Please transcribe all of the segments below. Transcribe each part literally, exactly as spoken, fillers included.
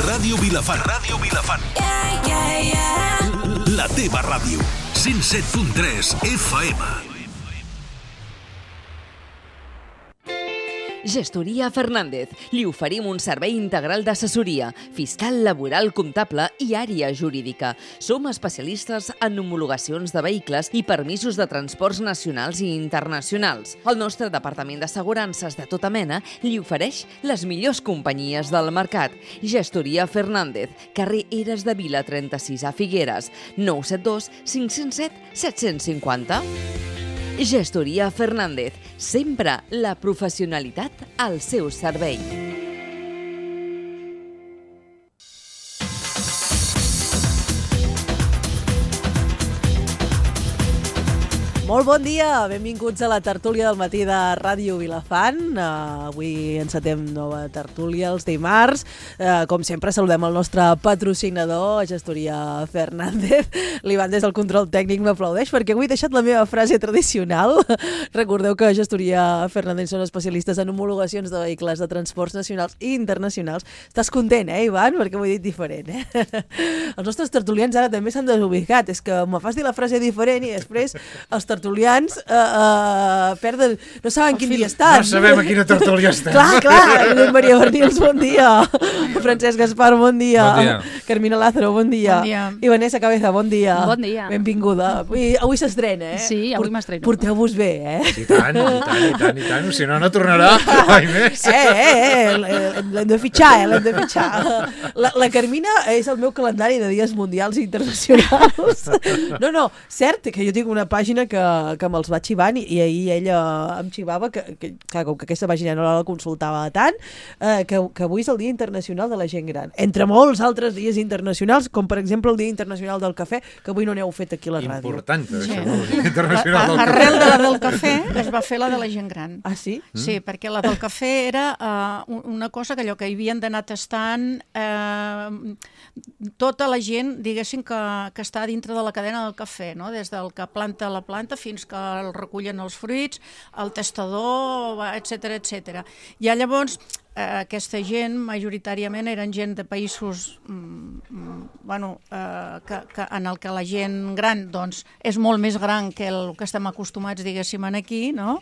Ràdio Vilafant. Ràdio Vilafant. Yeah, yeah, yeah. La teva ràdio. cent set punt tres F M. Gestoria Fernández. Li oferim un servei integral d'assessoria, fiscal, laboral, comptable i àrea jurídica. Som especialistes en homologacions de vehicles i permisos de transports nacionals i internacionals. El nostre departament d'assegurances de tota mena li ofereix les millors companyies del mercat. Gestoria Fernández, carrer Eres de Vila trenta-sis a Figueres, nou set dos cinc zero set set cinc zero. Gestoria Fernández, sempre la professionalitat al seu servei. Molt bon dia, benvinguts a la tertúlia del matí de Ràdio Vilafant. Uh, avui encetem nova tertúlia els dimarts. Uh, com sempre, saludem el nostre patrocinador, Gestoria Fernández. L'Ivan des del control tècnic m'aplaudeix perquè avui he deixat la meva frase tradicional. Recordeu que Gestoria Fernández són especialistes en homologacions de vehicles de transports nacionals i internacionals. Estàs content, eh, Ivan? Perquè ho he dit diferent, eh? Els nostres tertulians ara també s'han desubicat. És que me fas dir la frase diferent i després els tertulians uh, uh, perden, no saben quin dia estan. No sabem a quina tertúlia estem. Clar, clar. Maria Bernils, bon dia. Francesc Gaspar, bon dia. Bon dia. Carmina Lázaro, bon dia. Bon dia. I Vanessa Cabeza, bon dia. Bon dia. Benvinguda. Avui, avui s'estrena, eh? Sí, avui m'estreno. Porteu-vos bé, eh? I tant, i tant, i tant, i tant. Si no, no tornarà mai més. Eh, eh, eh. L'hem de fitxar, eh? L'hem de fitxar. La, la Carmina és el meu calendari de dies mundials i internacionals. No, no, cert que jo tinc una pàgina que que me'ls va xivant i, i ahir ella em xivava que, que, que, que aquesta pàgina no la consultava tant, eh, que, que avui és el Dia Internacional de la Gent Gran. Entre molts altres dies internacionals, com per exemple el Dia Internacional del Cafè, que avui no n'heu fet aquí a la ràdio. Important, Sí. això, el Dia Internacional del Cafè. Arrel de la del cafè es va fer la de la gent gran. Ah, sí? Sí, perquè la del cafè era uh, una cosa que allò que hi havien d'anar tastant uh, tota la gent, diguéssim, que, que està dintre de la cadena del cafè, no? Des del que planta la planta fins que el recullen els fruits, el tastador, etcètera, etcètera. I llavors eh, aquesta gent majoritàriament eren gent de països mm, bueno, eh, que, que en el que la gent gran doncs, és molt més gran que el que estem acostumats, diguéssim, aquí, no?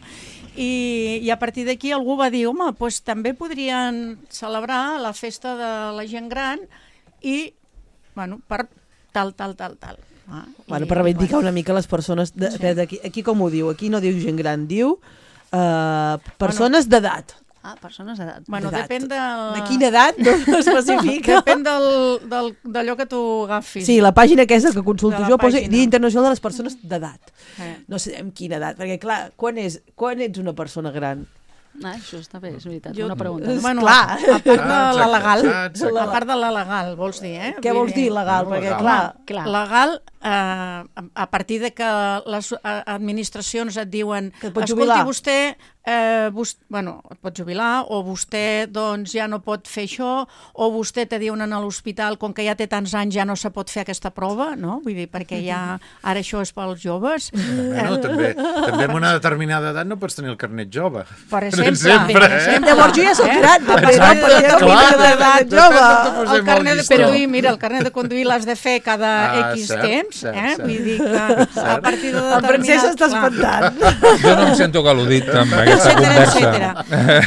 I, i a partir d'aquí algú va dir, home, doncs també podrien celebrar la festa de la gent gran i, bueno, per tal, tal, tal, tal. Ah, Bueno, i, per reivindicar bueno. una mica les persones... De, Sí. de, aquí, aquí com ho diu? Aquí no diu gent gran, diu uh, persones bueno, d'edat. Ah, persones d'edat. Bueno, d'edat. depèn de... De quina edat no especifica. Depèn del, del, d'allò que tu agafis. Sí, la pàgina aquesta que consulto De la jo posa pàgina. Dia Internacional de les Persones d'Edat. Eh. No sé amb quina edat, perquè clar, quan, és, quan ets una persona gran? Ah, això està bé, és veritat, Jo- una pregunta. És Bueno, clar. a part de Ah, la legal, exacte, exacte. a part de la legal, vols dir, eh? Què Vull vols dir legal? No, Perquè legal. clar, Clar. Legal, eh, a partir de que les eh, administracions et diuen Que et pots escolti, jubilar." vostè, eh, vos, bueno, et pot jubilar, o vostè doncs, ja no pot fer això, o vostè te diuen a l'hospital, com que ja té tants anys, ja no se pot fer aquesta prova, no? Vull dir, perquè ja ara això és pels joves. Bueno, també, també amb una determinada edat no pots tenir el carnet jove. Per exemple, sempre, per eh? exemple. llavors jo ja soc gran, també, no? Exacte, Perquè no clar, tinc edat depèn jove. de tu posem El carnet de el llistó. conduir, mira, el carnet de conduir l'has de fer cada Ah, X cert, temps, cert, eh? cert. Vull dir que a partir de El Francesc està clar. espantant. Jo no em sento al·ludit amb aquesta Etcètera, conversa. etcètera.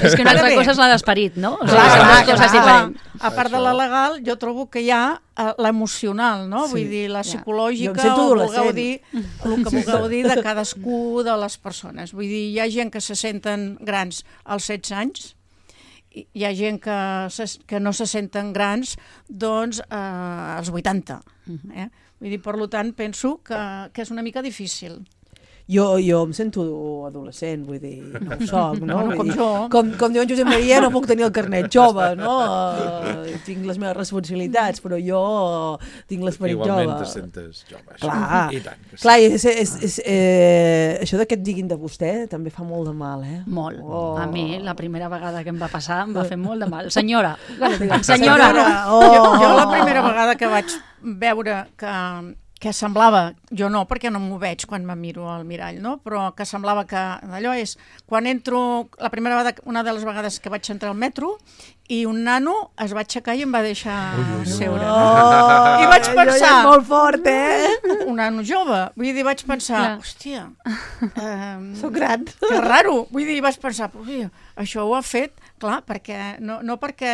És que una Ara altra bé, cosa és la d'esperit, no? O sigui, Clar, són clar, dues coses clar. diferents. A part de la legal, jo trobo que hi ha eh, l'emocional, no? Sí, Vull dir, la ja. psicològica, Jo em sento o adolescent. vulgueu dir, el que vulgueu dir de cadascú de les persones. Vull dir, hi ha gent que se senten grans als setze anys, i hi ha gent que, se, que no se senten grans doncs eh, als vuitanta. Eh? Vull dir, per tant, penso que, que és una mica difícil. Jo, jo em sento adolescent, vull dir, no ho soc, no? No, no, Vull com dir, jo. Com, com diu en Josep Maria, no puc tenir el carnet jove, no? Uh, tinc les meves responsabilitats, però jo tinc l'esperit jove. Igualment te sentes jove. això. Clar, I tant. que sí. clar, és, és, és, eh, això de que et diguin de vostè també fa molt de mal, eh? Molt. Oh. A mi, la primera vegada que em va passar, em va fer molt de mal. Senyora, clar, Senyora, senyora. oh. Jo, jo la primera vegada que vaig veure que, que semblava, jo no, perquè no m'ho veig quan me miro al mirall, no? Però que semblava que allò és, quan entro, la primera vegada, una de les vegades que vaig entrar al metro, i un nano es va aixecar i em va deixar ui, ui, ui. seure. No? Oh, I vaig pensar... és molt fort, eh? Un nano jove. Vull dir, vaig pensar, clar. hòstia... Um, Soc gran. Que raro. Vull dir, vaig pensar, ui, això ho ha fet, clar, perquè... No, no perquè...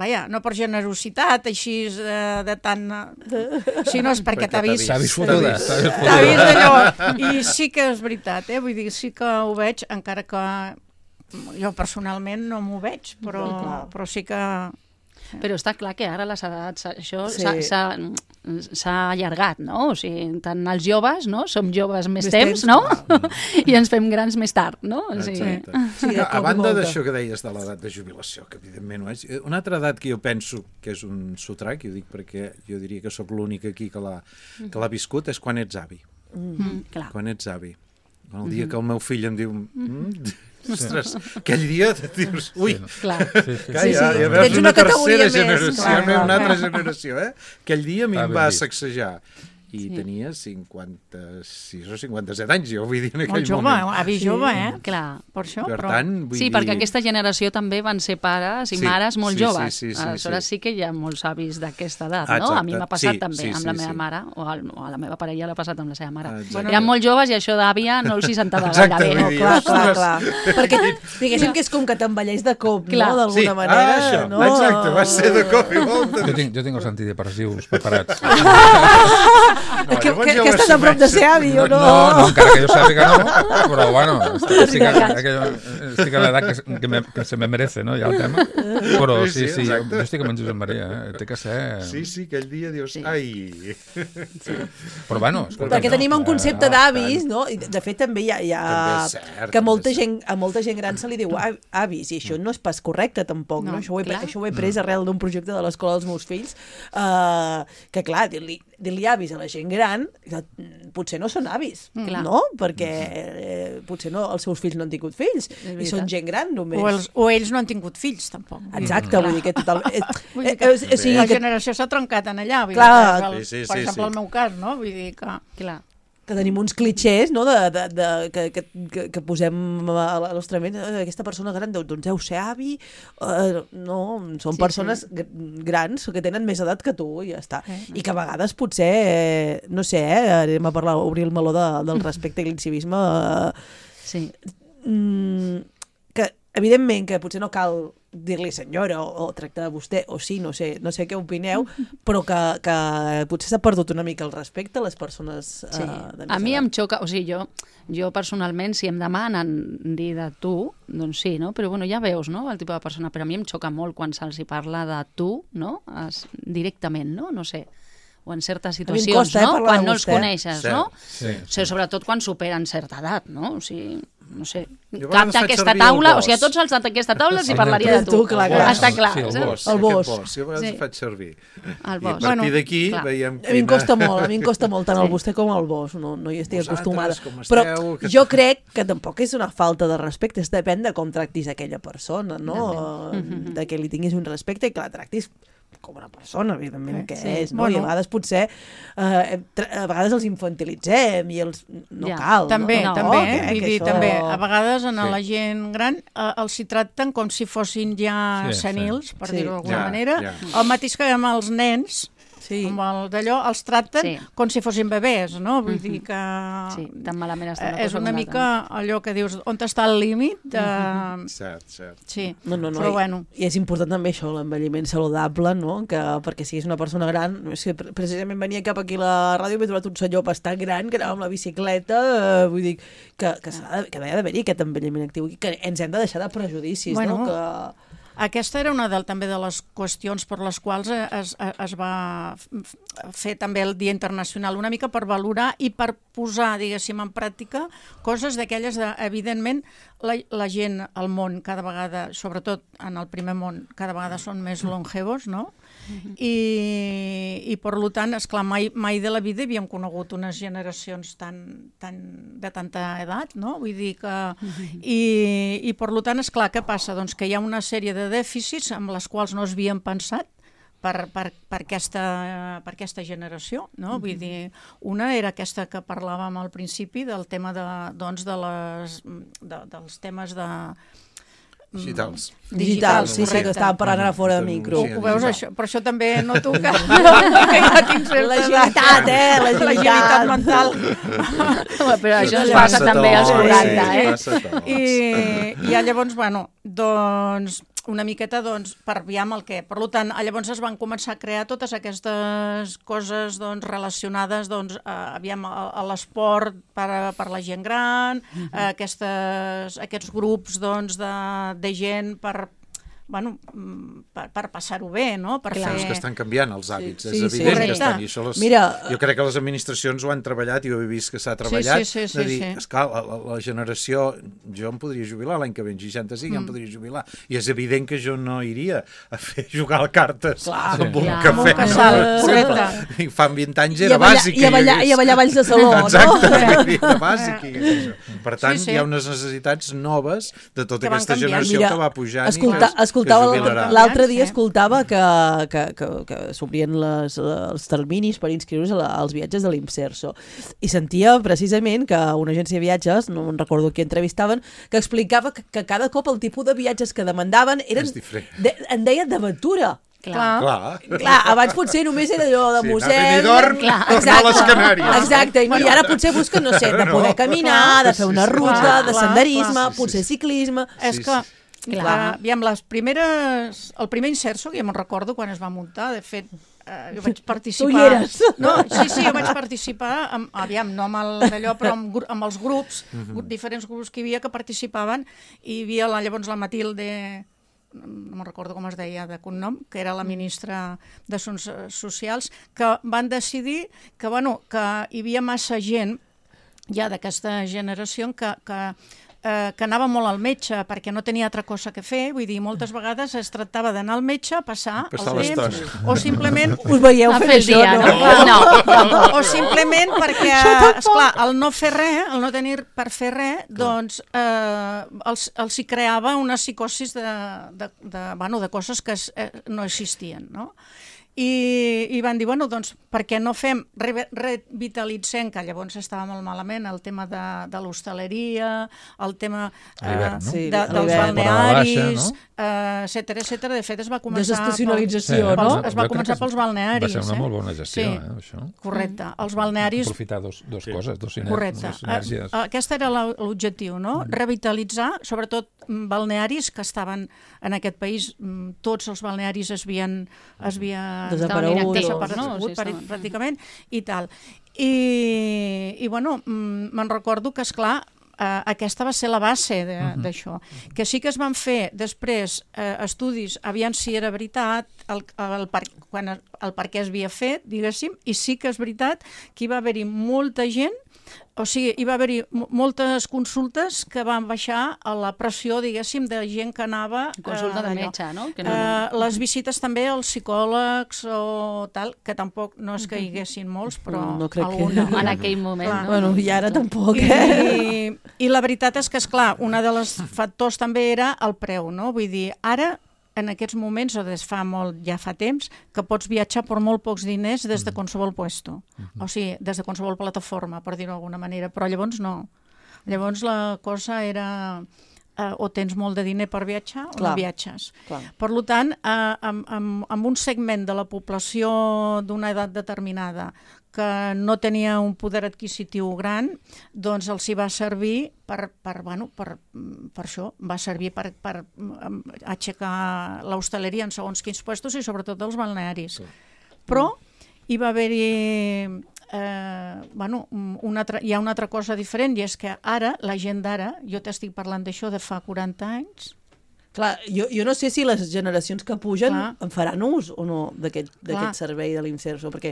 Vaja, no per generositat, així de, de tant... Sinó és perquè t'ha vist... T'ha vist fotuda. T'ha vist allò. I sí que és veritat, eh? Vull dir, sí que ho veig, encara que... Jo personalment no m'ho veig, però, però sí que... Però està clar que ara les edats, això Sí. s'ha allargat, no? O sigui, tant els joves, no? Som joves més, Més temps, temps, no? I ens fem grans més tard, no? O sigui, Exacte. Sí, a, a com banda molta. d'això que deies de l'edat de jubilació, que evidentment ho és, una altra edat que jo penso que és un sotrac, i ho dic perquè jo diria que sóc l'únic aquí que l'ha que l'ha viscut, és quan ets avi. mm, clar. Quan ets avi. Quan el dia que el meu fill em diu... Mm, ostres, aquell dia dius... Ui, Clar. Sí, sí. que Sí, ja, sí. ja veus Tens una, una categoria tercera més, generació, clar, una clar, altra clar. generació, eh? Aquell dia a mi Ah, em ben va vist. sacsejar. I tenia cinquanta-sis o cinquanta-set anys, jo vull dir en aquell Molt jove, moment. avi jove, eh? Clar. Per això, Per però... tant, vull Sí, dir... perquè aquesta generació també van ser pares i Sí, mares molt sí, joves. sí, sí, sí, Aleshores sí. sí que hi ha molts avis d'aquesta edat, Ah, no? A mi exacte. m'ha passat Sí, també sí, amb la sí, meva sí. mare, o, al, o a la meva parella l'ha passat amb la seva mare. Ah, exacte. Bueno, eren molt joves i això d'àvia no els hi sentava Exacte, gaire bé. vull dir, Clar, clar, ostres. clar. Perquè diguéssim que és com que t'envelleix de cop, Clar. no? D'alguna Sí, manera. ah, això, no? exacte, va ser de cop i volta. Jo tinc, jo tinc els antidepressius preparats. No, que, llavors que, ja ho que estàs a prop de ser avi, o no? No, no, encara que jo sàpiga no, però bueno, estic, estic, estic, estic a l'edat que, que, me, que se me merece, no, ja el tema. Però Sí, sí, sí, sí, jo, exacte. jo estic amb en Josep Maria, eh? Té que ser... Sí, sí, aquell dia dius... Sí. Ai... Però bueno, escolta, Perquè no, tenim un concepte Ah, d'avis, no? I de de fet també hi ha, hi ha També és cert, que molta també és gent, a molta gent gran se li diu "Av- avis, i això no és pas correcte tampoc, no? No, Això ho he, clar. això ho he pres arrel d'un projecte de l'escola dels meus fills, uh, que clar, dir-li dir-li avis a la gent gran, que, mm, potser no són avis, Clar. no? Perquè eh, potser no, els seus fills no han tingut fills, i veritat. són gent gran només. O, els, o ells no han tingut fills, tampoc. Exacte, vull dir que total... Eh, Vull dir eh, que eh, o sigui la que generació s'ha trencat en allà. Vull Clar. dir que, el, Sí, sí, per sí, exemple, sí. el meu cas, no? Vull dir que... Clar. que tenim uns clitxers, no?, de, de, de, que, que, que, que posem a la nostra ment, eh, aquesta persona gran deu, doncs deu ser avi, eh, no, són Sí, persones sí. gr- grans que tenen més edat que tu i ja està. Sí. I que a vegades potser, eh, no sé, eh, anem a parlar, obrir el meló de, del respecte i l'incivisme, eh, Sí. mm, que evidentment que potser no cal dir-li senyora o, o tractar de vostè, o sí, no sé, no sé què opineu, però que, que potser s'ha perdut una mica el respecte a les persones Sí. eh, de més A mi edat. em xoca, o sigui, jo, jo personalment, si em demanen dir de tu, doncs sí, no? Però bueno, ja veus, no?, el tipus de persona, però a mi em xoca molt quan se'ls hi parla de tu, no?, es, directament, no?, no sé, o en certes mi em situacions, costa, eh, no?, parlar de quan no els vostè. coneixes, Cert, no? sí. O sigui, sobretot quan superen certa edat, no? O sigui, no sé, Jo a cap vegades faig d'aquesta servir el taula, o bos. sigui, a tots els d'aquesta taula els hi Sí, parlaria tu, de tu. tu, clar, clar. Està clar. Sí, el saps? bos. El bos. Aquest bos, jo a vegades Sí. faig servir. El I a bos. partir Bueno, d'aquí clar. veiem A mi em costa molt, a mi em costa molt tant el Sí. vostè com el vos, no, no hi estic Vosaltres, acostumada. com Però esteu, que- jo crec que tampoc és una falta de respecte, és depèn de com tractis aquella persona, no? De que li tinguis un respecte i que la tractis com una persona, evidentment, que Sí. és, no? Bueno. I a vegades potser, eh, tra- a vegades els infantilitzem i els... No Ja. cal, També, no? també, Que- eh? Vull que dir, això- també, a vegades en Sí. la gent gran eh, els hi tracten com si fossin ja Sí, sí. senils, per Sí. dir-ho d'alguna Ja, manera. ja. El mateix que amb els nens, Sí. amb el d'allò, els tracten Sí. com si fossin bebès, no? Vull dir que... Sí, tan malament està una eh, és cosa una com mica allò que dius, on està el límit? De... Cert, cert. Sí, No, no, no. però i, bueno. I és important també això, l'envelliment saludable, no? Que perquè siguis una persona gran... És que pre- precisament venia cap aquí a la ràdio i m'he trobat un senyor bastant gran que anava amb la bicicleta, eh, vull dir, que, que, s'ha de, que ha d'haver-hi aquest envelliment actiu i que ens hem de deixar de prejudicis, Bueno, no? Que... Aquesta era una de, també de les qüestions per les quals es, es va f- fer també el Dia Internacional, una mica per valorar i per posar, diguéssim, en pràctica coses d'aquelles de, evidentment, la, la gent al món cada vegada, sobretot en el primer món, cada vegada són més longevos, no? I, i per tant, esclar, mai, mai de la vida havíem conegut unes generacions tan, tan, de tanta edat, no? Vull dir que... I, i per tant, esclar, què passa? Doncs que hi ha una sèrie de dèficits amb les quals no s'havien pensat per, per, per, aquesta, per aquesta generació, no? Vull dir, una era aquesta que parlàvem al principi del tema de, doncs, de les, de, dels temes de... Digitals. Digitals, sí, sí, que estàvem parlant ara fora de micro. Ho veus, això? Però això també noto que, que ja tinc certa... L'agilitat, eh? L'agilitat mental. Però això es passa també als quaranta, eh? I, i llavors, bueno, doncs una miqueta, doncs, per aviam el què. Per tant, llavors es van començar a crear totes aquestes coses, doncs, relacionades, doncs, a, aviam, a, a l'esport per, per la gent gran, uh-huh. aquestes, aquests grups, doncs, de, de gent per... bueno, per, per passar-ho bé, no? Per Clar, fer... és que estan canviant els hàbits, sí, és sí, evident sí. que estan, i això les, Mira, jo crec que les administracions ho han treballat i ho he vist que s'ha treballat, sí, sí, sí, de dir, sí. esclar, la, la, la generació, jo em podria jubilar l'any que ve, en seixanta-cinc mm. em podria jubilar, i és evident que jo no iria a fer jugar a cartes Clar, amb un clar, cafè, amb un casal, sempre. I fa vint anys era I a ballar, bàsic. i a ballar, i a ballar balls de saló, Exacte, no? era bàsic. I per tant, Sí, sí. hi ha unes necessitats noves de tota Que van aquesta canviant. generació Mira, que va pujant escolta, i que, escoltava que jubilarà. l'altre dia Sí. escoltava que, que, que, que s'obrien les, els terminis per inscriure's als viatges de l'Imserso i sentia precisament que una agència de viatges, no em recordo qui entrevistaven, que explicava que, que cada cop el tipus de viatges que demandaven eren, És diferent. de, en deien d'aventura. Clar. Clar. Clar, abans potser només era allò de Sí, museu... anar a Benidorm, tornar a les Canàries. Exacte, i ara potser busquen, no sé, de poder No. caminar, de fer una Sí, sí, ruta, clar, de clar, senderisme, clar. potser ciclisme... És Sí, que, sí. clar, aviam, les primeres... El primer Inserso, que ja me'n recordo quan es va muntar, de fet, eh, jo vaig participar... Tu hi eres. No, sí, sí, jo vaig participar, amb, aviam, no amb el d'allò, però amb, gru- amb els grups, uh-huh. diferents grups que hi havia que participaven, i hi havia la, llavors la Matilde... no me'n recordo com es deia de cognom, que era la ministra d'Assumptes Socials, que van decidir que, bueno, que hi havia massa gent ja d'aquesta generació que, que, eh, que anava molt al metge perquè no tenia altra cosa que fer, vull dir, moltes vegades es tractava d'anar al metge, passar, Passar el temps, l'estona. o simplement... Us veieu A fent fer el això, dia, no? no? No, O simplement perquè, esclar, el no fer res, el no tenir per fer res, doncs eh, els, els hi creava una psicosis de, de, de, bueno, de coses que es, eh, no existien, no? I, i van dir, bueno, doncs, per què no fem, re, revitalitzem, que llavors estava molt malament, el tema de, de l'hostaleria, el tema A l'hivern, no? Sí, de, a dels l'hivern. balnearis, Temporada baixa, eh, etcètera, etcètera. De fet, es va començar... Desestacionalització, pels- no? pels- Es va Jo crec començar que pels balnearis. Va ser una eh? molt bona gestió, Sí. eh, això. Correcte. Els balnearis... Aprofitar dos, dos coses, dos, siner, Correcte. dos sinergies. Eh, Aquest era la- l'objectiu, no? Revitalitzar, sobretot mm, balnearis que estaven en aquest país, mm, tots els balnearis es havien, es havien Desaparegut, desaparegut, no? Sí, pràcti- estaven. pràcticament, i tal. I, i bueno, mm, me'n recordo que, esclar, eh, aquesta va ser la base d'això. Uh-huh. Que sí que es van fer després eh, estudis, aviam si era veritat, el, el, per, quan, el per què es havia fet, diguéssim, i sí que és veritat que hi va haver-hi molta gent, o sigui, hi va haver-hi mo- moltes consultes que van baixar a la pressió, diguéssim, de gent que anava... Consulta de d'allò. metge, no? Que no- Eh, les visites també als psicòlegs o tal, que tampoc no és que hi haguessin molts, però No crec que- alguna. En aquell moment, Clar. no? Bueno, i ara tampoc, eh? I, I la veritat és que, esclar, un dels factors també era el preu, no? Vull dir, ara, en aquests moments, o des fa molt, ja fa temps, que pots viatjar per molt pocs diners des de qualsevol puesto. O sigui, des de qualsevol plataforma, per dir-ho d'alguna manera. Però llavors no. Llavors la cosa era... Eh, o tens molt de diner per viatjar o Clar. no viatges. Clar. Per tant, eh, amb, amb, amb un segment de la població d'una edat determinada que no tenia un poder adquisitiu gran, doncs els hi va servir per, per, bueno, per, per això, va servir per, per um, aixecar l'hostaleria en segons quins puestos i sobretot els balnearis. Però hi va haver-hi... Eh, bueno, una altra, hi ha una altra cosa diferent, i és que ara, la gent d'ara, jo t'estic parlant d'això de fa quaranta anys, Clar, jo, jo no sé si les generacions que pugen Clar. en faran ús o no d'aquest Clar. d'aquest servei de l'Imserso, perquè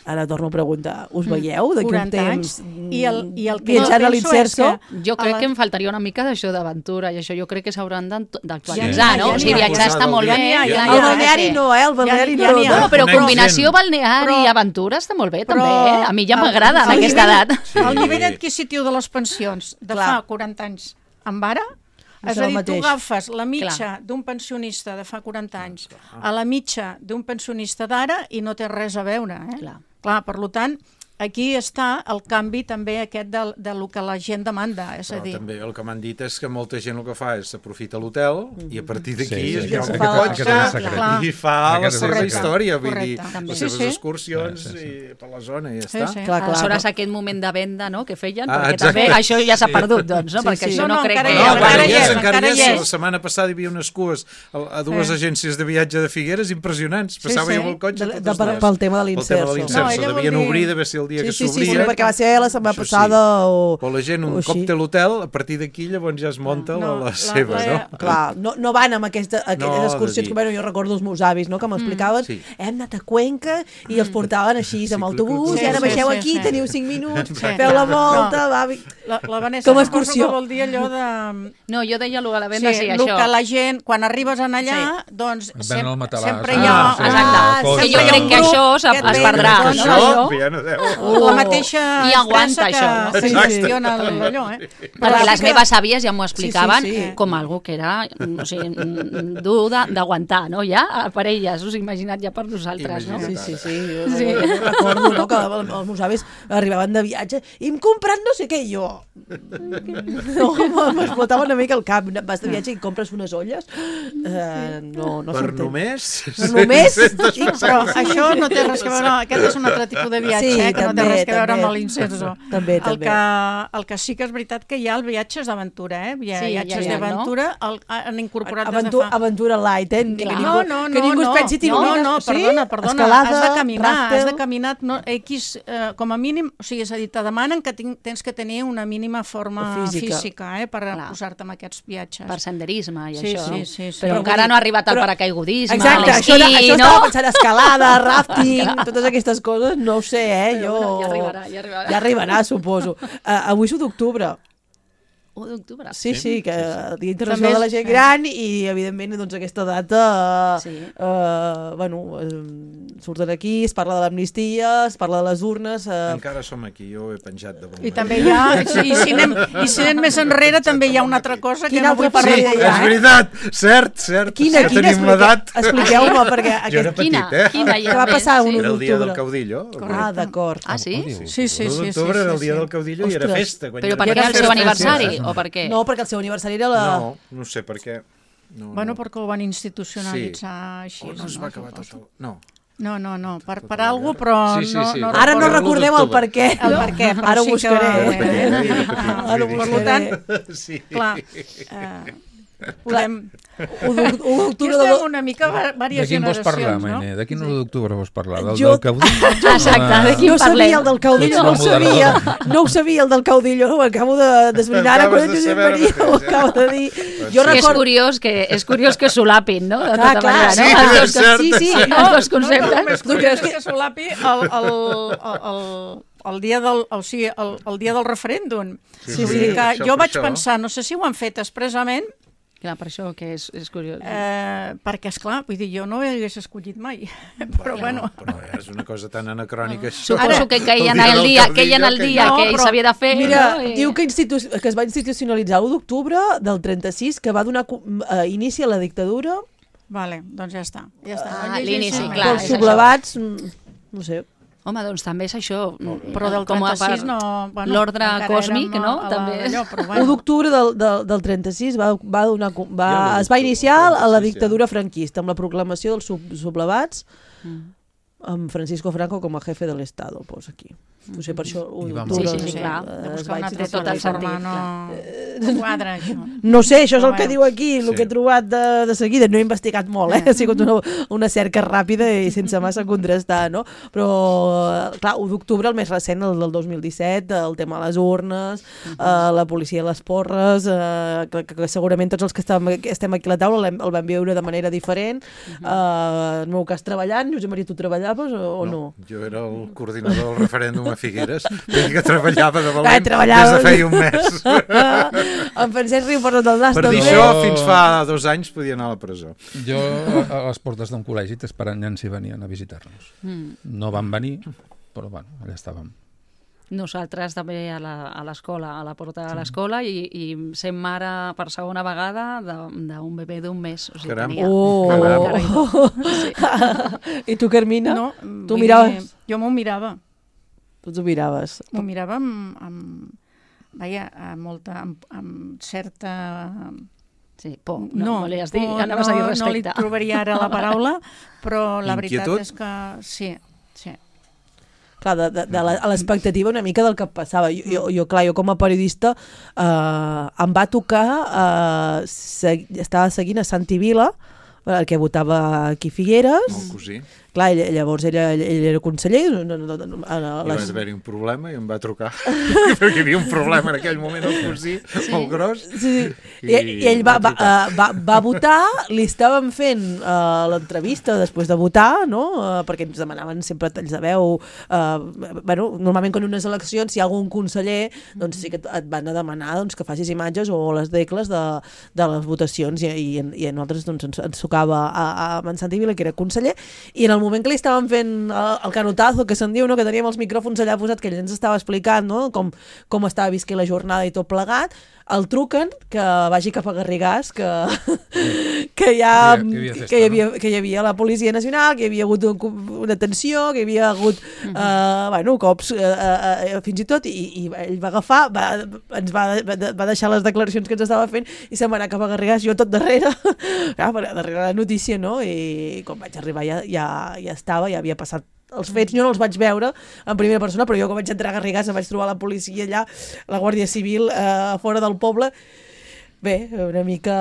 ara torno a preguntar, us veieu d'aquí un quaranta anys, temps i el, i el que viatjant jo a penso l'Imserso? és que Jo crec a la- que em faltaria una mica d'això d'aventura i això jo crec que s'hauran d'ant- Ja d'actualitzar, n'hi ha, no? ja O sigui, n'hi ha. viatjar està molt Ja bé. n'hi ha, ja ja, n'hi El ha. balneari que- no, eh? El balneari Ja n'hi ha, no. ja n'hi ha. no. No, però Conec combinació gent. balneari Però- i aventura està molt bé, però- també. A mi ja m'agrada en el aquesta nivell- edat. Sí. El nivell adquisitiu de les pensions de Clar. fa quaranta anys amb ara És a dir, tu agafes la mitja d'un pensionista de fa quaranta anys a la mitja d'un pensionista d'ara i no té res a veure. Eh? Clar. Clar, per tant, aquí està el canvi també aquest del, del que la gent demanda. És Però a dir... també el que m'han dit és que molta gent el que fa és s'aprofita l'hotel i a partir d'aquí Sí, sí, es lloga aquest- el aquest és el cotxe secret. i fa Aquest la és el seva secret. història, vull dir, Correcte. les Sí, seves sí. excursions Sí, sí, sí. i per la zona i ja Sí, està. sí. Clar, clar. Aleshores, aquest moment de venda, no?, que feien, Ah, perquè exacte. també això ja s'ha perdut, doncs, no? Sí, Perquè sí. això No, no, no, crec encara que... hi No, és, encara encara hi hi és, és, encara encara hi hi és. és. La setmana passada hi havia unes cues a, a dues Eh. agències de viatge de Figueres impressionants. Passava sí. jo amb el cotxe De, totes de, per, dues. pel tema de Pel tema de l'inserso. l'inserso. No, ella vol Devien dir- obrir, devia ser el dia Sí, que sí, sí, sí, s'obria. perquè va ser la setmana Això sí. passada o... Però la gent, o un així. cop té l'hotel, a partir d'aquí llavors ja es munta No, la, la- la seva, la- no? Clar, no, no van amb aquesta, aquestes No, excursions de dir- que bueno, jo recordo els meus avis, no?, que m'explicaven, Sí. hem anat a Cuenca i els portaven així amb Sí, autobús, sí, i ara sí, baixeu sí, aquí, sí. teniu cinc minuts, Sí. feu la volta, No. va... La, la Vanessa, Com a suposo excursió. que vol dir allò de... No, jo deia lo de la venda, sí, el això. que la gent, quan arribes en allà, doncs Et venen sem el matalàs. sempre Ah, hi ha... sí. Exacte. Ah, Que sempre jo hi ha crec un que grup això es- que et es ve, perdrà, doncs, no? això, Això, ja no deu. o la mateixa I aguanta, expressa que, això. que Sí, sí. gestiona allò, eh? Perquè les que- meves àvies ja m'ho explicaven Sí, sí, sí. com algo que era, o sigui, mm, dur de- d'aguantar, no? Ja, per elles, us imaginat ja per nosaltres, no? Sí, sí, sí, jo, sí. jo recordo, no?, que els els meus avis arribaven de viatge i hem comprat no sé què, i jo... No, m'explotava una mica el cap. Vas de viatge i compres unes olles? Uh, no, no Per surten. només... Per només? Sí, però això no té res a veure, aquest és un altre tipus de viatge, Sí, eh, que no també, té res a veure també. amb l'incenso. També, el també. Que, el que sí que és veritat que hi ha el viatges d'aventura, eh? Hi ha Sí, viatges ja hi ha, d'aventura, el- han incorporat Aventura, des de fa... aventura light, eh? Que Clar. ningú, No, no, no, que ningú no, es pensi no, tirolines. no, Sí? perdona, perdona, Escalada, has de caminar, ràftel. has de caminar no, X, eh, com a mínim, o sigui, és a dir, te demanen que tinc, tens que tenir una mínima forma Física. física, eh, per Clar. posar-te en aquests viatges. Per senderisme i Sí, això. sí, sí, sí. Però, Però encara vull no ha arribat el però- paracaigudisme, Exacte, això, era, l'esquí, això no? estava pensant escalada, rafting, totes aquestes coses, no ho sé, eh? Però Jo... bueno, ja arribarà, ja arribarà. Ja arribarà, suposo. Uh, avui és u d'octubre. u d'octubre. Sí, sí, que el Dia També Internacional és- de la Gent Gran i, evidentment, doncs, aquesta data, Sí. eh, bueno, eh, surten aquí, es parla de l'amnistia, es parla de les urnes... Eh, Encara som aquí, jo ho he penjat de bon I també hi ha, i si anem, i si anem més enrere, també hi ha una altra cosa que Quina no vull altra parlar. Sí, ja, és eh? veritat, cert, cert. Quina, ja quina, tenim l'edat. expliqueu-me, perquè Jo era aquest... petit, Quina? eh? Quina hi ha Què va més? passar Sí. un- Era el dia del d'octubre. caudillo. Ah, d'acord. Ah, sí? Sí, sí, sí. l'u sí, d'octubre sí, era el sí. dia del caudillo i era Ostres. festa. quan Però jo per era què el festa. seu aniversari? O per què? No, perquè el seu aniversari era la... No, no sé per què. No, Bueno, no. perquè ho van institucionalitzar així. O no es va acabar tot el... No. No, no, no, per, per alguna cosa, però Sí, sí, no, sí. no Ara no recordo recordem el per què. el per què, però Ara ho sí que... buscaré. va- Repetir, eh, repetir, Ara ho repetir. Per tant, Sí. clar, eh, podem... u d'octubre Aquí de... estem una mica va- De diverses quin vols parlar, generacions, no? Maine? De quin u d'octubre vols parlar? Del, Jo- del caudillo? Exacte, de quin No sabia parlem? el del caudillo, no ho Ets una sabia. moderadora. No ho sabia el del caudillo, ho acabo de desbrinar ara quan Acabes de el Josep saber Maria ara ho mateix, eh? acaba de dir. Pues Jo sí. És recordo... curiós que és curiós que solapin, no? De Clar, tota clar, manera, sí, no? és Els dos, cert. Sí, sí, els no, dos conceptes. No, no, més Tu curiós creus que... que- que solapi el, el, el, el, el, dia del, o sigui, el, el dia del referèndum. Sí, Vull sí, dir que això, jo per vaig això. pensar, no sé si ho han fet expressament, Clar, per això que és, és curiós. eh, perquè, esclar, vull dir, jo no ho hagués escollit mai. Però bueno... Però és una cosa tan anacrònica, això. Suposo que queien El el dia dia, del que hi el caudillo, dia No, que però- s'havia de fer. Mira, no? I- diu que, institu que es va institucionalitzar l'u d'octubre del trenta-sis, que va donar cu- eh, inici a la dictadura Vale, doncs ja està. Ja està. Ah, No llegeixis l'inici, més. clar, pels és això. sublevats, mm, no sé. Home, doncs també és això. Però del com a trenta-sis per no... Bueno, l'ordre encara còsmic, érem no? a la- També. Allò, però u bueno. d'octubre del, del, del trenta-sis va, va donar, cu- va, Ja, l'u es va d'octubre, iniciar a la trenta-sis, dictadura franquista, amb la proclamació dels sub, sublevats, Mm. amb Francisco Franco com a jefe de l'Estado, posa aquí. No sé, per això u I va d'octubre... Sí, sí, sí, eh, clar. De es buscar va una altra tot el forma, sentit, no, no quadra, això. No sé, això és el Però que bueno. diu aquí, el Sí. que he trobat de, de seguida. No he investigat molt, eh? Ha sigut una, una cerca ràpida i sense massa contrastar, no? Però, clar, u d'octubre, el més recent, el del dos mil disset, el tema de les urnes, uh -huh. eh, la policia de les porres, eh, que, que, que segurament tots els que estem, estem aquí a la taula l'hem- el vam viure de manera diferent. Uh -huh. eh, en el meu cas, treballant. Josep Maria, tu treballaves o, o no? Jo era el coordinador del referèndum a Figueres, vull que treballava de valent Ah, treballaves. des de feia un mes. En Francesc Riu porta del nas, Per dir també. això, fins fa dos anys podia anar a la presó. Jo a a les portes d'un col·legi t'esperant nens i venien a visitar-nos. Mm. No van venir, però bueno, allà estàvem. Nosaltres també a la- a l'escola, a la porta de l'escola, i, i sent mare per segona vegada de- d'un bebè d'un mes. O sigui, Caram. tenia... Oh! Sí. I tu, Carmina? No, Tu vull miraves? dir, jo m'ho mirava. Tu t'ho miraves. M'ho mirava amb, amb, vaja, amb molta, amb, amb certa... Sí, por. No, no li has dit, por, anaves a dir no, no li respecte. trobaria ara la paraula, però la Inquietud? veritat és que sí, sí. Clar, de, de, de la, a l'expectativa una mica del que passava. Jo, jo, jo clar, jo com a periodista eh, em va tocar, eh, seg estava seguint a Santi Vila, el que votava aquí a Figueres. El cosí. Clar, ell, llavors ell, ell, ell era conseller. No, no, no, no, a I va les... haver-hi un problema i em va trucar. Perquè hi havia un problema en aquell moment, el cosí, sí. molt gros. Sí, sí. I, I, I ell va, va, uh, va, va votar, li estàvem fent uh, l'entrevista després de votar, no? Uh, perquè ens demanaven sempre talls de veu. Uh, bueno, normalment quan unes eleccions, si hi ha algun conseller, doncs sí que et van a demanar doncs, que facis imatges o les decles de, de les votacions, i, i, i a nosaltres doncs, ens, ens tocava a, a en Santi Vila, que era conseller, i en el moment que li estàvem fent el, el canotazo, que se'n diu, no? Que teníem els micròfons allà posats, que ell ens estava explicant, no? com, com estava visquent la jornada i tot plegat, el truquen que vagi cap a Garrigàs, que, que, ja, Que hi havia festa, que, hi havia, que hi havia la Policia Nacional, que hi havia hagut un, una tensió, que hi havia hagut uh, uh, bueno, cops uh, uh, fins i tot, i, i ell va agafar, va, ens va, va deixar les declaracions que ens estava fent i se'n va anar cap a Garrigàs, jo tot darrere, ja, darrere la notícia, no? I quan vaig arribar ja, ja, ja estava, ja havia passat els fets, jo no els vaig veure en primera persona, però jo quan vaig entrar a Garrigàs em vaig trobar la policia allà, la Guàrdia Civil eh, fora del poble. Bé, una mica...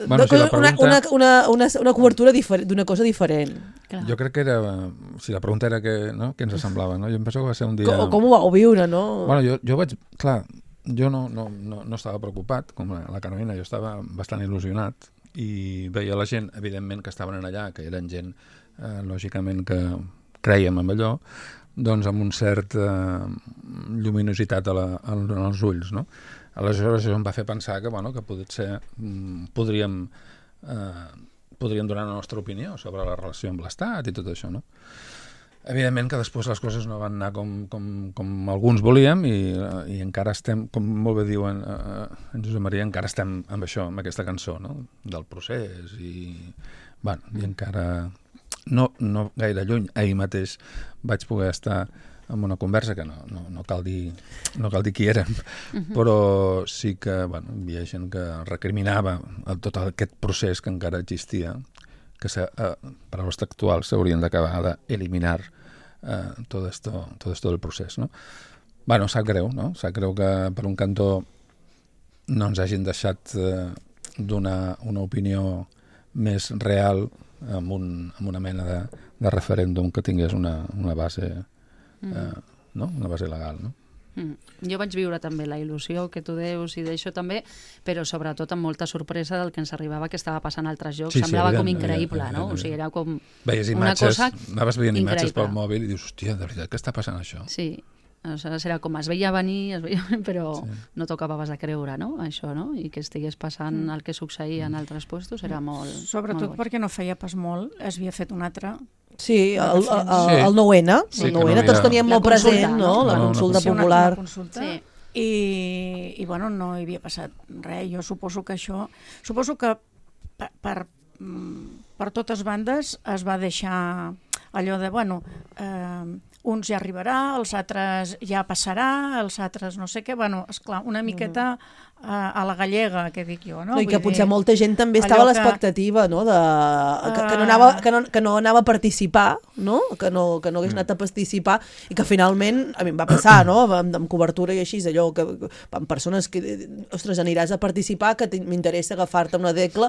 Bueno, si la pregunta... una, una, una, una cobertura d'una cosa diferent. Clar. Jo crec que era... Si la pregunta era que, no? Què ens semblava, no? Jo em penso que va ser un dia... Com, com ho vau viure, no? Bueno, jo, jo vaig... Clar, jo no, no, no, no estava preocupat, com la, la Carolina, jo estava bastant il·lusionat i veia la gent, evidentment, que estaven allà, que eren gent, eh, lògicament, que creiem en allò, doncs amb un cert eh, lluminositat a la, a, als ulls, no? Aleshores això em va fer pensar que, bueno, que potser mm, podríem, eh, podríem donar la nostra opinió sobre la relació amb l'Estat i tot això, no? Evidentment que després les coses no van anar com, com, com alguns volíem i, i encara estem, com molt bé diuen eh, en Josep Maria, encara estem amb això, amb aquesta cançó, no? Del procés i, bueno, i encara no, no gaire lluny. Ahir mateix vaig poder estar en una conversa que no, no, no, cal dir, no cal dir qui érem, uh-huh. però sí que bueno, hi havia gent que recriminava tot aquest procés que encara existia, que se, eh, paraules textuals s'haurien d'acabar d'eliminar eh, tot esto, tot esto del procés, no? Bueno, sap greu, no? Sap greu que per un cantó no ens hagin deixat eh, donar una opinió més real amb, un, amb una mena de, de referèndum que tingués una, una base eh, no? Una base legal, no? Mm. Jo vaig viure també la il·lusió que tu deus i d'això també, però sobretot amb molta sorpresa del que ens arribava que estava passant a altres llocs. Sí, sí, semblava evident, com increïble, evident, no? evident. O sigui, era com Veies una imatges, cosa anaves veient imatges increïble. pel mòbil i dius, hòstia, de veritat, què està passant això? Sí, aleshores era com es veia venir, es veia, però Sí. no t'acabaves de creure, no? Això, no? I que estigués passant el que succeïa en altres puestos era molt... Sobretot molt boig. perquè no feia pas molt, es havia fet un altre... Sí, el, el, el, Sí. el nou ene, Sí, el que nou ene no havia- tots teníem La molt consulta, present, no? no? La No, consulta Sí, una, popular. una consulta. Sí. I, i bueno, no hi havia passat res. Jo suposo que això... Suposo que per, per, mm, per totes bandes es va deixar allò de, bueno, eh, uns ja arribarà, els altres ja passarà, els altres no sé què, bueno, esclar, una miqueta eh, a la gallega, que dic jo, no? No, I que Vull potser dir, molta gent també allò estava a que- l'expectativa, no? De, que, que, no Ah. anava, que, no, que no anava a participar, no? Que no, que no hagués anat a participar i que finalment, a mi em va passar, no? Amb, amb cobertura i així, allò, que, que amb persones que, ostres, aniràs a participar, que m'interessa agafar-te una decla,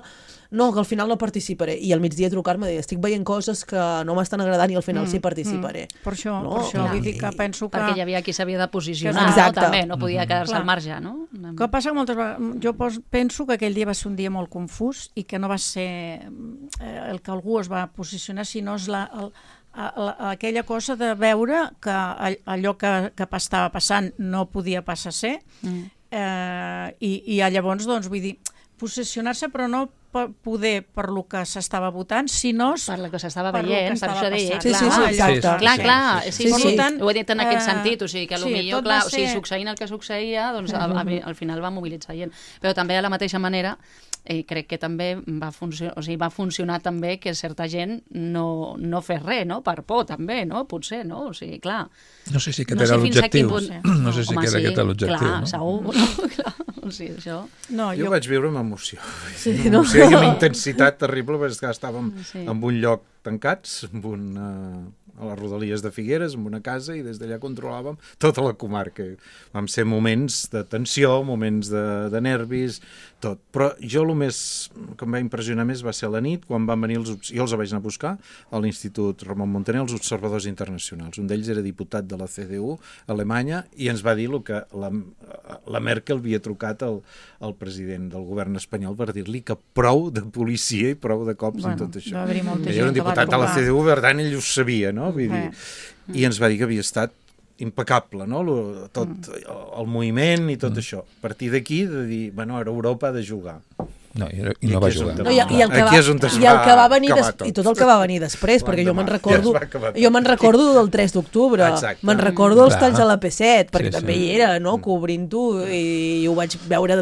no, que al final no participaré. I al migdia trucar-me i dir, estic veient coses que no m'estan agradant i al final sí participaré. Per això, No, per això clar. vull dir que penso que... Perquè hi havia qui s'havia de posicionar, Exacte. no? També, no podia quedar-se Clar. al marge, no? Que passa que moltes vegades, jo pos, penso que aquell dia va ser un dia molt confús i que no va ser eh, el que algú es va posicionar, sinó és la, el, a, la, aquella cosa de veure que all, allò que, que estava passant no podia passar a ser, Mm. eh, i, i llavors, doncs, vull dir, posicionar-se però no poder per lo que s'estava votant, sinó per lo que s'estava per lo veient, que per estava això deia, passant. Sí, sí, sí, exacte. Clar, clar, sí, sí, Per sí, tant, ho he dit en aquest eh, sentit, o sigui que sí, potser, tot clar, va o sigui, ser- succeint el que succeïa, doncs al, al final va mobilitzar gent. Però també de la mateixa manera eh, crec que també va funcionar, o sigui, va funcionar també que certa gent no, no fes res, no? Per por també, no? Potser, no? O sigui, clar. No sé si aquest No sé era fins a quin l'objectiu. punt- No sé si Home, era sí, aquest l'objectiu. clar, no? segur, no? Clar, o sigui, això... No, Jo jo... ho vaig viure amb emoció. Sí, Amb no? emoció i una intensitat terrible, perquè és que estàvem Sí. en un lloc tancats, amb un, uh, a les rodalies de Figueres, amb una casa, i des d'allà controlàvem tota la comarca. Vam ser moments de tensió, moments de, de nervis, tot. Però jo el més que em va impressionar més va ser a la nit, quan van venir els... Jo els vaig anar a buscar a l'Institut Ramon Montaner, els observadors internacionals. Un d'ells era diputat de la C D U a Alemanya i ens va dir el que la, la Merkel havia trucat al, al president del govern espanyol per dir-li que prou de policia i prou de cops Bueno, en tot això. va haver-hi molta Ell gent era un que va diputat de la trucar. C D U, per tant, ell ho sabia, no? Vull dir, Eh. i ens va dir que havia estat impecable, no? Lo, tot el, el moviment i tot mm. això. A partir d'aquí, de dir, bueno, ara Europa ha de jugar. No, i, i I no va aquí és on jugar. te- No, i, i, el que va, Aquí és on es i el que va va venir acabar des, tot. i tot el que va venir després, perquè jo me'n L'endemà. recordo Ja es va acabar tot. jo me'n recordo del tres d'octubre, Exacte. me'n recordo dels Clar. talls a la P set, perquè Sí, també sí. hi era, no?, cobrint-ho, i, i ho vaig veure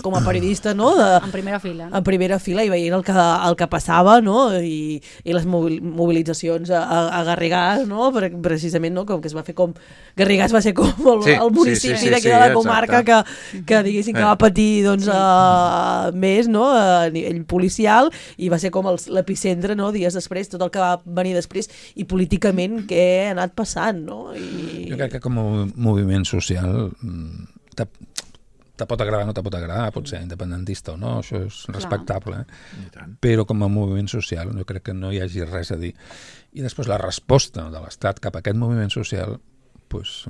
com a periodista, no?, de, En primera fila. en primera fila i veient el que, el que passava, no?, i, i les mobil- mobilitzacions a, a, a Garrigàs, no?, per, precisament, no?, com que es va fer com... Garrigàs va ser com el, Sí, el municipi sí, sí, sí, d'aquí sí, de la exacte. comarca que, que diguéssim que va patir, doncs, uh, més, no?, a nivell policial, i va ser com el- l'epicentre, no?, dies després, tot el que va venir després, i políticament què ha anat passant, no? I... Jo crec que com a moviment social mm, te, te pot agradar o no te pot agradar, pot ser independentista o no, això és respectable, I tant. però com a moviment social jo crec que no hi hagi res a dir. I després la resposta de l'Estat cap a aquest moviment social, pues,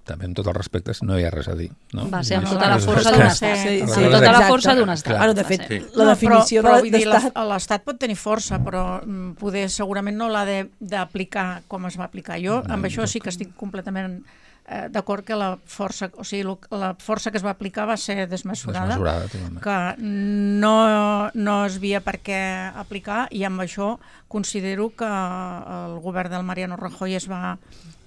també amb tots els respectes, no hi ha res a dir. No? Va ser amb És- tota la és- força és- d'un és- estat. Sí, Amb sí, tota la exacte. força d'un estat. Bueno, de va fet, ser. la definició però, però, de vull dir, d'estat... la- l'Estat pot tenir força, però mm, poder segurament no l'ha de- d'aplicar com es va aplicar. Jo amb això sí que estic completament eh, d'acord que la força, o sigui, lo- la força que es va aplicar va ser desmesurada, Desmesurada, totalment. que no, no es havia per què aplicar, i amb això considero que el govern del Mariano Rajoy es va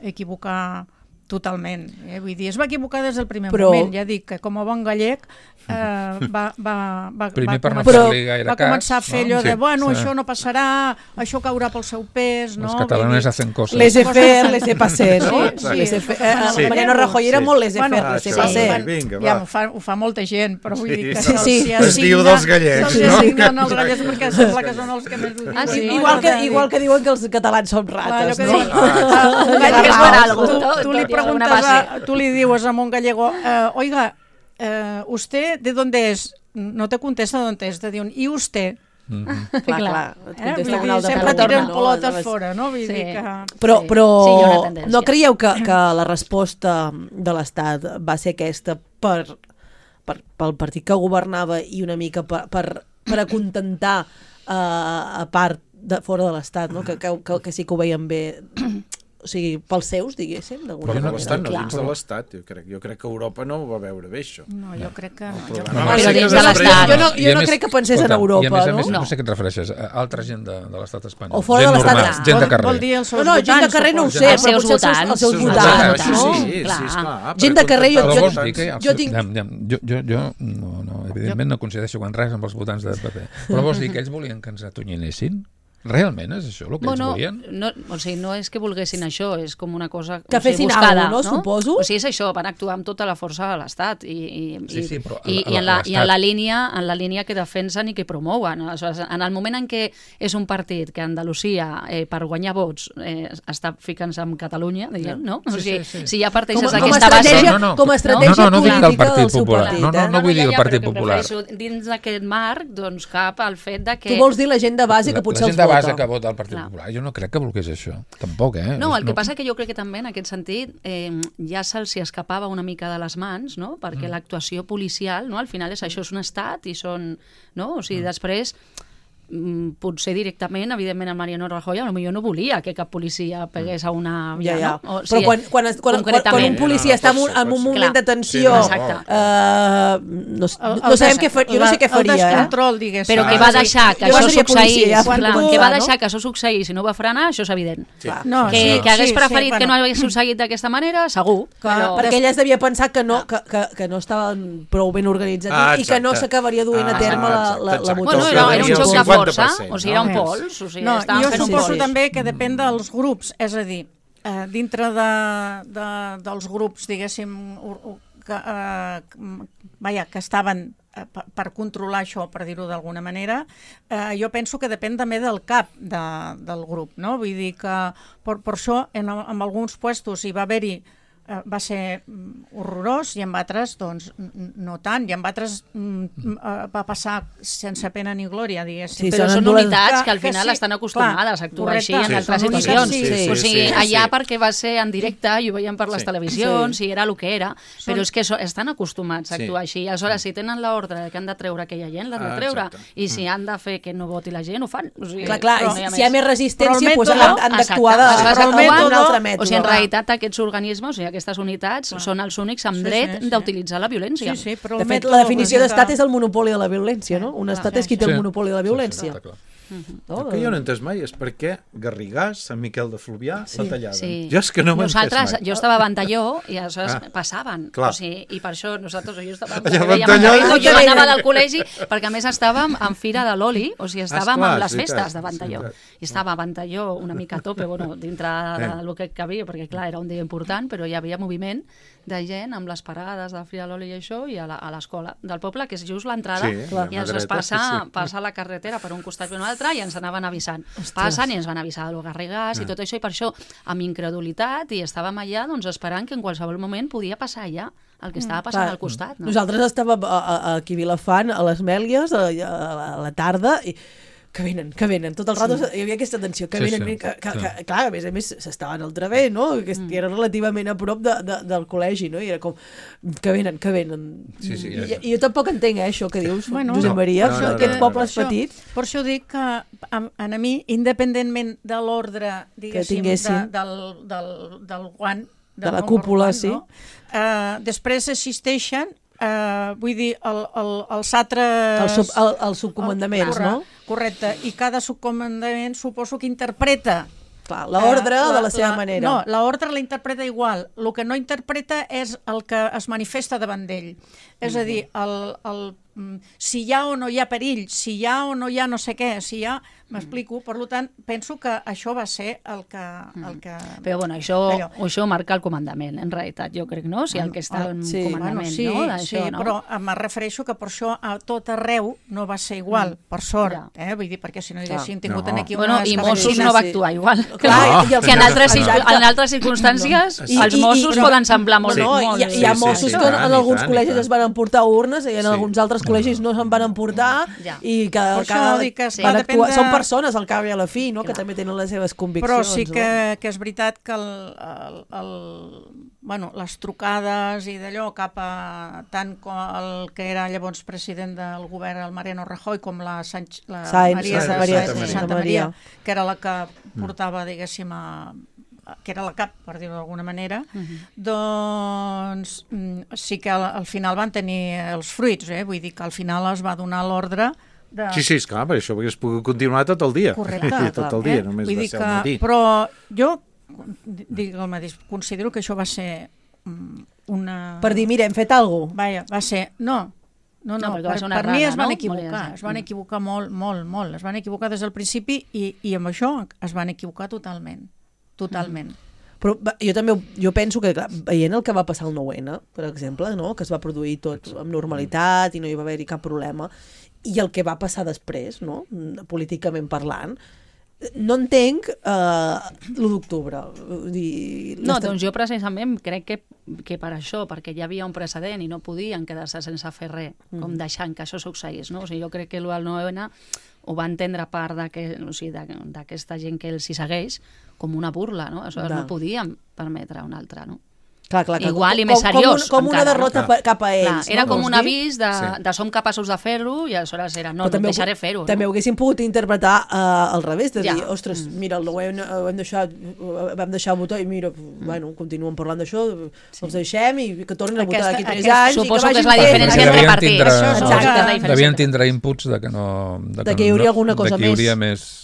equivocar totalment. Eh? Vull dir, es va equivocar des del primer Però- moment. Ja dic que com a bon gallec eh, va, va, va, Primer va, per no començar, fer-li gaire va cas, començar a fer no? allò de, Sí. bueno, Sí. això no passarà, això caurà pel seu pes, no? Els Vull catalanes dir, hacen coses. Laissez-faire, laissez-passer, no? Sí, sí. Laissez-faire. Eh, Sí. Mariano Rajoy era Sí. molt laissez-faire, Bueno, laissez-passer. sí. Vinga, ja va. ho fa, ho fa molta gent, però vull Sí, dir que sí, se'ls sí. hi Es diu assigna- dels gallecs, se'ls hi no? assignen els gallecs perquè sembla que són els que més ho diuen. Ah, sí? Igual que, Per tant, igual que diuen que els catalans són Clar, allò rates, que no? diuen, ah, un que gallego, és per algo. tu, Tot- tu li tot hi ha alguna preguntes, a, base. tu li dius a un gallego, eh, oiga, eh, ¿usted de dónde es? No te contesta dónde es, te diuen, ¿y usted? Clar, clar, et Eh? contesta Vull una dir, altra sempre persona, tiren no? pelotes Aleshores- fora, no? Vull Sí. dir que... Però, Sí. però Sí, hi ha una tendència. no creieu que, que la resposta de l'Estat va ser aquesta per, per, pel partit que governava i una mica per, per, per acontentar uh, a part de fora de l'Estat, no? que, que, que, que sí que ho veien bé, o sigui, pels seus, diguéssim, d'alguna Però de manera. l'Estat, no Clar. dins de l'Estat, jo crec. Jo crec que Europa no ho va veure bé, això. No, jo crec que no. Jo problema crec va que- Però ser dins que de després- l'Estat. Jo no, I jo a no més- crec que pensés escolta, en Europa, I a més a no? més, no, No. sé a què et refereixes, a altra gent de, de l'estat espanyol. O fora gent de l'estat, normal, clar. gent de Vol, carrer. vol dir els seus No, no, gent de votants, carrer no ho sé, suposo. Els però seus potser els seus, votants. els seus Els votants, votants, no? Sí, sí, Clar. esclar. Gent de carrer, jo- Però jo- vols dir que els, jo tinc- ja, ja, jo, jo, jo no, no, evidentment no coincideixo en res amb els votants del P P, però vols dir que ells volien que ens atonyinessin? Realment és això el que Bueno, ells volien? no, o sigui, no és que volguessin això, és com una cosa Que o sigui, fessin buscada, alguna cosa, no? Suposo. O sigui, és això, van actuar amb tota la força de l'Estat i, i, Sí, i- sí, però i, a- a- i, en la, a i en la l'Estat- línia en la línia que defensen i que promouen. Aleshores, en el moment en què és un partit que a Andalusia, eh, per guanyar vots, eh, està ficant-se amb Catalunya, diguem, no? O Sí, sigui, sí, sí. si ja parteixes Com, a- com, a d'aquesta base... estratègia, No, no, no. com a estratègia No, no, no dic el política Partit del seu Popular. partit, No, no, eh? no vull dir el ja, Partit però que Popular. prefereixo dins d'aquest marc, doncs cap al fet de que... Tu vols dir la gent de base que La, potser la els gent de vota. base que vota el Partit Clar. Popular, jo no crec que volgués això, tampoc, eh? No, el que no... passa que jo crec que també en aquest sentit eh, ja se'ls hi escapava una mica de les mans, no? Perquè Mm. l'actuació policial, no? Al final és això, és un estat i són... No? O sigui, després potser directament, evidentment, el Mariano Rajoy potser no volia que cap policia pegués a una Ja, via, ja. no? O Però sigui, quan, quan, es- quan, quan, quan un policia està en un, en un moment de tensió, Sí, no, exacte. eh, no, El- no el sabem des- què faria, jo no sé què el faria, eh? descontrol, diguéssim. Però Ah, que va sí. deixar que Jo això seria policia, succeís, ja, clar, quan que va tu, deixar no? que això succeís i no va frenar, això és evident. No, Que, sí, que hagués sí, preferit sí, que no bueno. hagués succeït d'aquesta manera, segur. Clar, Però... Perquè ella es devia pensar que no, que, que, que no estaven prou ben organitzats Ah, i que no exacte. s'acabaria duent a Ah, terme la, exacte, la, la exacte. Bueno, votació. era, era un el joc de cinquanta per força, cent, o sigui, era un no? pols, o sigui, No, estaven jo fent un suposo pols. també que depèn dels grups, és a dir, eh, dintre de, de, dels grups, diguéssim, ur- ur- que, eh, vaja, que estaven eh, per, per controlar això, per dir-ho d'alguna manera, eh, jo penso que depèn també del cap de, del grup, no? Vull dir que per, per això en, en alguns puestos hi va haver-hi eh, va ser mm, horrorós i en altres doncs n- no tant, i en altres mm, eh, va passar sense pena ni glòria, diguéssim. Sí, Però són són dolents. unitats que al Que- que final sí, estan acostumades clar, a actuar així correcte. en Sí, altres són emissions. unitats, sí, sí, o sigui, sí, allà sí. perquè va ser en directe i ho veiem per les Sí. televisions Sí. i era el que era, però Són- és que so, estan acostumats a Sí. actuar així. Aleshores, si tenen l'ordre que han de treure aquella gent, l'han de Ah, treure. exacte. I si han de fer que no voti la gent, ho fan. O sigui, Clar, clar, però i no si hi ha més resistència, Però el doncs mètode- han, han d'actuar de, Exacte. de, Però el d'un mètode- altre mètode. O sigui, en va. realitat, aquests organismes, o sigui, aquestes unitats, són els únics amb Sí, dret sí, sí. d'utilitzar la violència. Sí, sí, però De el fet, mètode la definició el d'estat que- és el monopoli de la violència, no? Un clar, estat sí, és qui té sí. el monopoli de la Sí, violència. sí, està clar. No? El que jo no he entès mai és per què Garrigàs, Sant Miquel de Fluvià, la tallaven. Sí. Jo és que no ho he entès Nosaltres, mai. jo estava a Ventalló i aleshores Ah, passaven. clar. O sigui, I per això nosaltres, jo estava Allà a veiem Ventalló el i- jo anava del col·legi, perquè a més estàvem en Fira de l'Oli, o sigui, estàvem Esclar, amb les és veritat, festes de és Ventalló. veritat. I estava a Ventalló una mica a tope, bueno, dintre del que cabia, perquè clar, era un dia important, però hi havia moviment de gent amb les parades de Fira de l'Oli i això, i a la- a l'escola del poble, que és just l'entrada, Sí, i la ens es dreta, passa, sí. passa la carretera per un costat i un altre, i ens anaven avisant. Passen i ens van avisar de lo Garrigàs Ah. i tot això, i per això, amb incredulitat, i estàvem allà doncs, esperant que en qualsevol moment podia passar allà el que estava passant Clar, al costat. No? Nosaltres estàvem a, a, aquí a Vilafant, a les Mèlies, a, a, a la tarda, i que venen, que venen. Tot el rato sí. hi havia aquesta tensió, que Sí, venen, sí. venen, que, que, Sí. que, clar, a més a més s'estaven al través, no? Que mm. era relativament a prop de, de, del col·legi, no? I era com, que venen, que venen. Sí, sí, I, ja, ja. I jo tampoc entenc, eh, això que dius, Bueno, Josep no, Maria, no, no, no, aquests no, no. pobles Per això- petits. Per això dic que a, a, a mi, independentment de l'ordre, diguéssim, de, tinguessin. del, del, del guant, De la del cúpula, guant, sí. no? eh, després existeixen, eh, vull dir, el, el, els altres... El, sub, el, els subcomandaments, Corre- no? Correcte, i cada subcomandament suposo que interpreta Clar, l'ordre eh, de la seva manera. No, l'ordre la interpreta igual. El que no interpreta és el que es manifesta davant d'ell. És a dir, el, el, mm, si hi ha o no hi ha perill, si hi ha o no hi ha no sé què, si hi ha... M'explico, per tant, penso que això va ser el que... El que... Però bueno, això, Allò. això marca el comandament, en realitat, jo crec, no? O sigui, el que està al sí. comandament, Bueno, sí, no? sí, D'això, no? però em refereixo que per això a tot arreu no va ser igual, mm. per sort, Ja. eh? Vull dir, perquè si no haguessin tingut No. aquí Bueno, unes i Mossos cavallines- no va sí. actuar igual. Clar, no. i els- Que en altres, circu- Exacte. en altres circumstàncies I- els i- i- Mossos però- poden semblar molt. No, no, molt hi, hi ha Sí, sí, Mossos sí, que en, tant, en i alguns tant, i col·legis tant. es van emportar urnes i en Sí. alguns altres col·legis no se'n van emportar Ja. i que, Per que, això dic que es van va actuar. dependre- Són persones al cap i a la fi, no? Que Clar. també tenen les seves conviccions. Però sí que, no? que és veritat que el, el, el, bueno, les trucades i d'allò cap a tant com el que era llavors president del govern, el Mariano Rajoy, com la, Sanch, la Sáenz, Maria de Sáenz, Maria, Sáenz de sí. Santa Maria. Maria, que era la que portava, diguéssim, a, a, que era la cap, per dir-ho d'alguna manera, doncs mm, sí que al, al final van tenir els fruits, eh? Vull dir que al final es va donar l'ordre de... Sí, sí, esclar, per això hagués pogut continuar tot el dia. Correcte, tot el dia, eh? només Vull va dir ser que, al matí. però jo dic el mateix, considero que això va ser mm, una... Per dir, mira, hem fet alguna cosa. Vaja, va ser... No, no, no, No, perquè va per, ser una per mi errada, es van no? equivocar, Volia dir. es van equivocar molt, molt, molt, es van equivocar des del principi i, i amb això es van equivocar totalment, totalment. Però va, jo també ho- jo penso que, clar, veient el que va passar el nou ene, per exemple, no? Que es va produir tot amb normalitat i no hi va haver-hi cap problema, i el que va passar després, no? Políticament parlant, no entenc eh, l'u d'octubre. Vull dir, No, l'estat- doncs jo precisament crec que, que per això, perquè hi havia un precedent i no podien quedar-se sense fer res, com deixant que això succeís, no? O sigui, jo crec que el nou ene ho va entendre part d'aquesta o sigui, d'aquesta gent que els hi segueix com una burla, no? Aleshores Da. no podíem permetre una altra, no? Clar, clar, clar. igual com, i més seriós. Com, com una encara, derrota no? cap a ells. Clar, era no? com un Vols dir? avís de, Sí. de som capaços de fer-ho i aleshores era no, no et deixaré fer-ho. També no? ho haguéssim pogut interpretar uh, al revés, de Ja. dir, ostres, mira, ho hem, ho hem deixat, vam deixar el botó i mira, bueno, continuen parlant d'això, sí. els deixem i que tornin a votar d'aquí tres aquesta, anys. Suposo i que, que és la vagin diferència fent. entre Devien partits. tindre- Això és Exacte. la diferència. Devien tindre inputs de que no... De, De que hi hauria alguna cosa de que hi hauria més. més...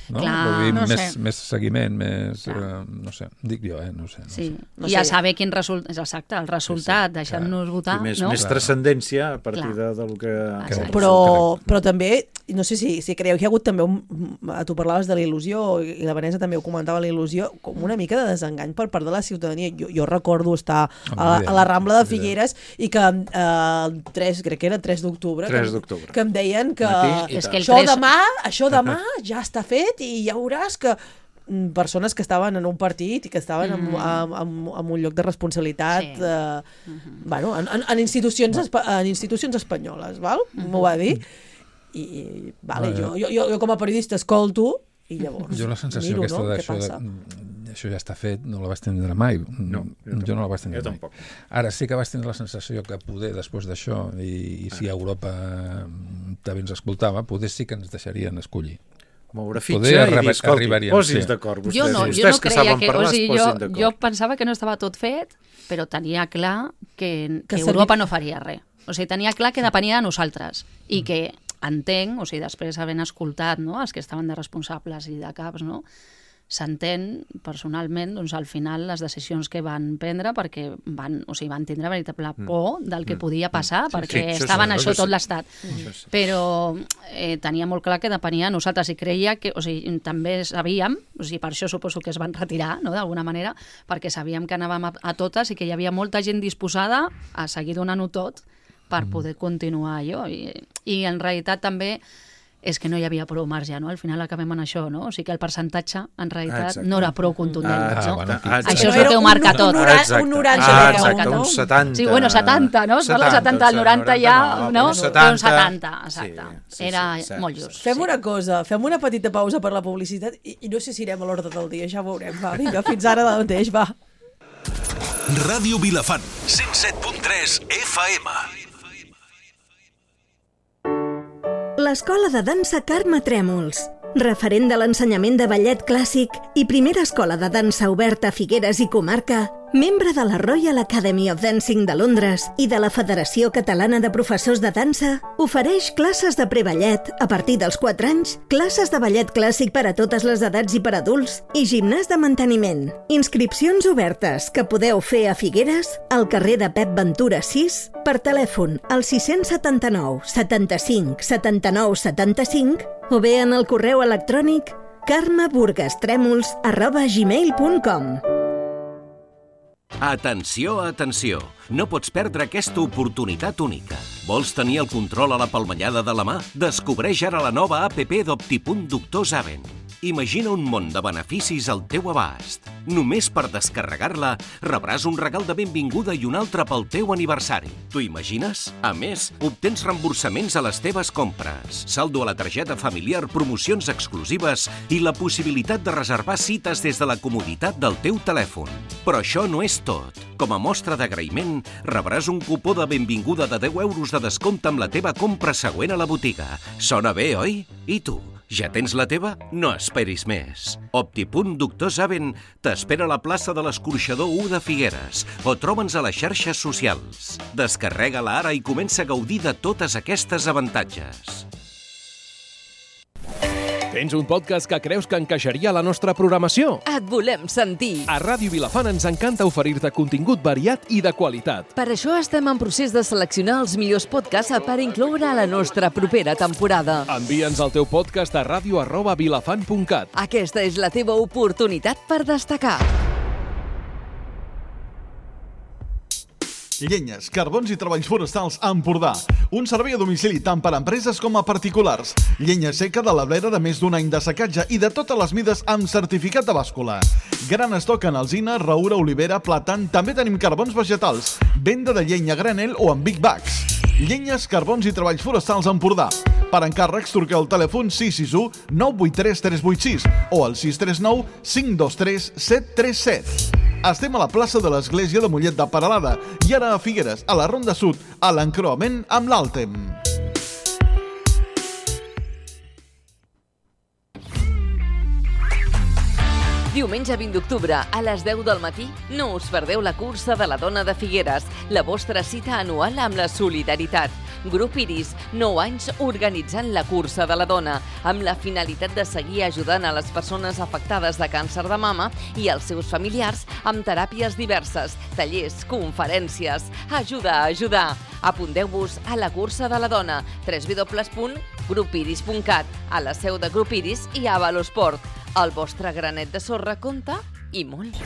No? Clar, Vull dir, no més, sé. més seguiment, més... Eh, no sé, dic jo, eh? No sé. No Sí, sé. No i ja sé. saber quin resultat, és exacte, el resultat, sí, deixant-nos votar, I més, no? més transcendència a partir Clar. de, del que... Exacte. Però, però també, no sé si, si creieu que hi ha hagut també, un, tu parlaves de la il·lusió, i la Vanessa també ho comentava, la il·lusió, com una mica de desengany per part de la ciutadania. Jo, jo recordo estar a, la- a la Rambla de Figueres i que eh, el tres, crec que era tres d'octubre, tres que, d'octubre. que em deien que Matí i És que el això tres- demà, això demà ja està fet i ja veuràs que mm, persones que estaven en un partit i que estaven en, en, en, en un lloc de responsabilitat Sí. eh, bueno, en, en, en, institucions, espa- en institucions espanyoles, val? M'ho va dir. I, i vale, jo, jo, jo, jo com a periodista escolto i llavors Jo la sensació miro, aquesta no? Què d'això, passa? de, això ja està fet, no la vaig tindre mai. No, jo jo no la vaig tindre jo mai. tampoc. Ara sí que vaig tindre la sensació que poder, després d'això, i, i si Europa també ens escoltava, poder sí que ens deixarien escollir. Moure fitxa Poder i dir, arriba- escolti, arribaríem, posi's sí. d'acord vostès. Jo no, jo vostès no que creia saben que... parlar, O sigui, es jo, posin d'acord. jo pensava que no estava tot fet, però tenia clar que, Que que servi- Europa no faria res. O sigui, tenia clar que depenia de nosaltres i que entenc, o sigui, després havent escoltat no, els que estaven de responsables i de caps, no, s'entén personalment doncs, al final les decisions que van prendre perquè van, o sigui, van tindre veritable por del que podia passar perquè sí, això estaven sí, això això tot sí. l'estat. Això sí. Però eh, tenia molt clar que depenia de nosaltres i creia que, o sigui, també sabíem, o sigui, per això suposo que es van retirar, no?, d'alguna manera, perquè sabíem que anàvem a, a totes i que hi havia molta gent disposada a seguir donant-ho tot per poder continuar allò. I, i en realitat també és que no hi havia prou marge, no? Al final acabem en això, no? O sigui que el percentatge, en realitat, Exacte. no era prou contundent, Ah, no? bueno, ah, exacte. Això és No, el que era ho un- marca un tot. noranta- Exacte. un noranta Ah, deu, exacte, no? un setanta. Sí, bueno, setanta, no? No, el setanta, el noranta ja, no? un setanta. Un setanta, exacte. Sí, sí, Era sí, molt sí, just. Fem sí. una cosa, fem una petita pausa per la publicitat i, i no sé si irem a l'ordre del dia, ja ho veurem. Va, vinga, fins ara de mateix, va. Ràdio Vilafant, cent set punt tres F M. L'Escola de Dansa Carme Trèmols, referent de l'ensenyament de ballet clàssic i primera escola de dansa oberta a Figueres i comarca, membre de la Royal Academy of Dancing de Londres i de la Federació Catalana de Professors de Dansa, ofereix classes de preballet a partir dels quatre anys, classes de ballet clàssic per a totes les edats i per a adults i gimnàs de manteniment. Inscripcions obertes que podeu fer a Figueres, al carrer de Pep Ventura sis, per telèfon al sis setanta nou setanta-cinc setanta-nou setanta-cinc o bé en el correu electrònic carmeburgastrèmols arroba gmail punt com. Atenció, atenció! No pots perdre aquesta oportunitat única. Vols tenir el control a la palmellada de la mà? Descobreix ara la nova app d'Optipunt Doctor Zaven. Imagina un món de beneficis al teu abast. Només per descarregar-la rebràs un regal de benvinguda i un altre pel teu aniversari. T'ho imagines? A més, obtens reemborsaments a les teves compres, saldo a la targeta familiar, promocions exclusives i la possibilitat de reservar cites des de la comoditat del teu telèfon. Però això no és tot. Com a mostra d'agraïment, rebràs un cupó de benvinguda de deu euros de descompte amb la teva compra següent a la botiga. Sona bé, oi? I tu? Ja tens la teva? No esperis més. Optipunt Doctor Zaven t'espera a la plaça de l'Escorxador u de Figueres o troba'ns a les xarxes socials. Descarrega-la ara i comença a gaudir de totes aquestes avantatges. Tens un podcast que creus que encaixaria a la nostra programació? Et volem sentir. A Ràdio Vilafant ens encanta oferir-te contingut variat i de qualitat. Per això estem en procés de seleccionar els millors podcasts per incloure a la nostra propera temporada. Envia'ns el teu podcast a ràdio arroba vilafant punt cat. Aquesta és la teva oportunitat per destacar. Llenyes, carbons i treballs forestals a Empordà. Un servei a domicili tant per a empreses com a particulars. Llenya seca de la blera de més d'un any de secatge i de totes les mides amb certificat de bàscula. Gran estoc en alzina, roure, olivera, plàtan. També tenim carbons vegetals. Venda de llenya a granel o en big bags. Llenyes, carbons i treballs forestals a Empordà. Per encàrrecs, truqueu al telèfon sis sis u nou vuit tres tres vuit sis o al sis tres nou cinc dos tres set tres set. Estem a la plaça de l'Església de Mollet de Peralada i ara a Figueres, a la Ronda Sud, a l'encreuament amb l'Àltem. Diumenge vint d'octubre, a les deu del matí, no us perdeu la cursa de la dona de Figueres, la vostra cita anual amb la solidaritat. Grup Iris, nou anys organitzant la cursa de la dona, amb la finalitat de seguir ajudant a les persones afectades de càncer de mama i els seus familiars amb teràpies diverses, tallers, conferències. Ajuda a ajudar! Apunteu-vos a la cursa de la dona, w w w punt grup iris punt cat, a la seu de Grup Iris i a Valosport. El vostre granet de sorra compta i molt.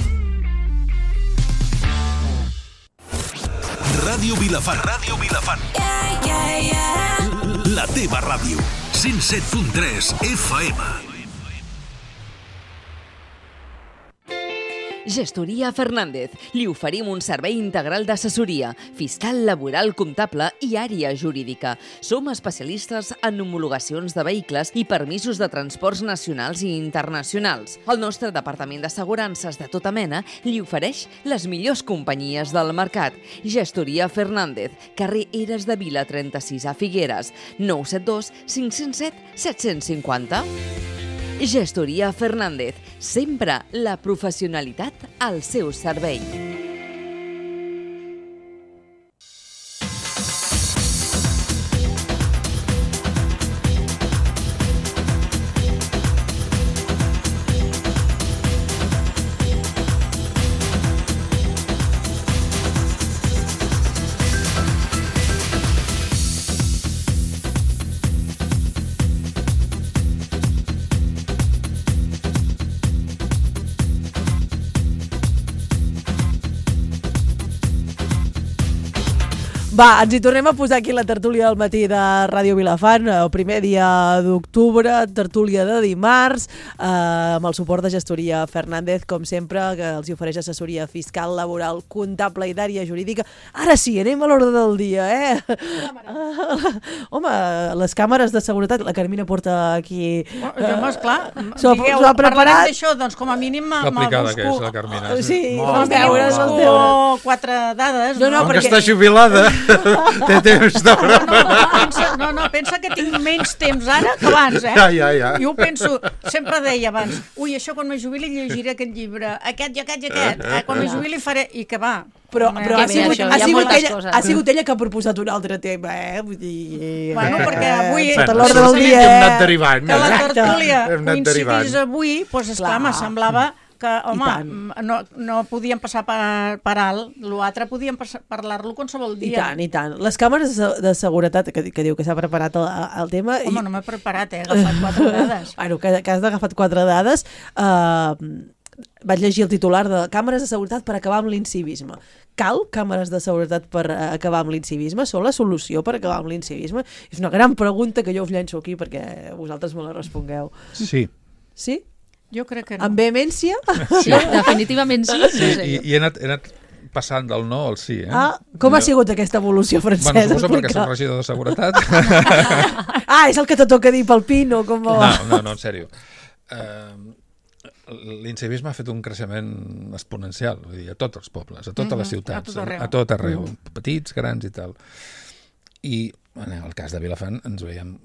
Ràdio Vilafant. Ràdio Vilafant. Yeah, yeah, yeah. La teva ràdio. cent set punt tres F M. Gestoria Fernández. Li oferim un servei integral d'assessoria, fiscal, laboral, comptable i àrea jurídica. Som especialistes en homologacions de vehicles i permisos de transports nacionals i internacionals. El nostre departament d'assegurances de tota mena li ofereix les millors companyies del mercat. Gestoria Fernández, carrer Eres de Vila trenta-sis a Figueres, nou set dos cinc zero set set cinc zero. Gestoria Fernández, sempre la professionalitat al seu servei. Va, ens hi tornem a posar aquí la tertúlia del matí de Ràdio Vilafant, el primer dia d'octubre, tertúlia de dimarts, eh, amb el suport de Gestoria Fernández, com sempre, que els hi ofereix assessoria fiscal, laboral, comptable i d'àrea jurídica. Ara sí, anem a l'ordre del dia, eh? Uh, home, les càmeres de seguretat, la Carmina porta aquí... Uh, jo, home, esclar, s'ho ha preparat. Parlarem d'això, doncs com a mínim me'l busco. Complicada que és la Carmina. Sí, me'l busco quatre dades. No, no, perquè... perquè... està jubilada. Té temps de preparar. No, no, pensa, no, no, pensa que tinc menys temps ara que abans, eh? Ja, ja, ja. Jo ho penso, sempre deia abans, ui, això quan me jubili llegiré aquest llibre, aquest i aquest i aquest, eh? Quan me jubili faré... I que va. Però, però ha, sigut, això, ha, sigut ella, coses. ha sigut ella que ha proposat un altre tema, eh? Vull dir... Bueno, perquè avui... Sota l'ordre del dia, hem anat derivant. Que la tertúlia Hem anat coincidís derivant. avui, doncs esclar, me semblava que, home, no, no podíem passar per, per alt, l'altre podíem parlar-lo qualsevol dia. I tant, i tant. Les càmeres de seguretat, que, que diu que s'ha preparat el, el tema... Home, i... no m'he preparat, eh? He agafat quatre dades. Bueno, que, que has agafat quatre dades. Uh, vaig llegir el titular de càmeres de seguretat per acabar amb l'incivisme. Cal càmeres de seguretat per acabar amb l'incivisme? Són la solució per acabar amb l'incivisme? És una gran pregunta que jo us llenço aquí perquè vosaltres me la respongueu. Sí. Sí? Jo crec que no. Amb vehemència? Sí, definitivament sí. sí, sí. I, i he, anat, he anat passant del no al sí, eh? Ah, com ha sigut aquesta evolució, Francesc? Bueno, suposo perquè soc regidor de seguretat. Ah, és el que te toca dir pel Pino? Com... No, no, no, en sèrio. Uh, L'incivisme ha fet un creixement exponencial, vull dir, a tots els pobles, a totes mm-hmm, les ciutats, a tot arreu, a tot arreu mm-hmm. petits, grans i tal. I en el cas de Vilafant ens veiem,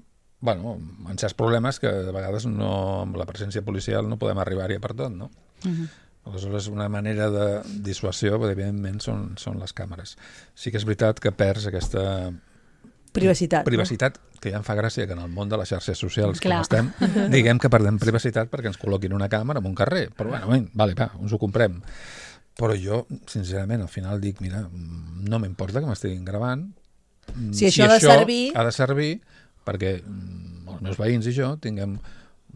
bueno, en certs problemes que de vegades no, amb la presència policial no podem arribar-hi per tot, no? Mm-hmm. Aleshores, una manera de dissuasió, evidentment, són, són les càmeres. Sí que és veritat que perds aquesta... Privacitat. Privacitat, no? Que ja em fa gràcia que en el món de les xarxes socials Clar. com estem, diguem que perdem privacitat perquè ens col·loquin una càmera en un carrer. Però bueno, ben, vale, va, ens ho comprem. Però jo, sincerament, al final dic, mira, no m'importa que m'estiguin gravant. Si, si això ha de servir... ha de servir perquè els meus veïns i jo tinguem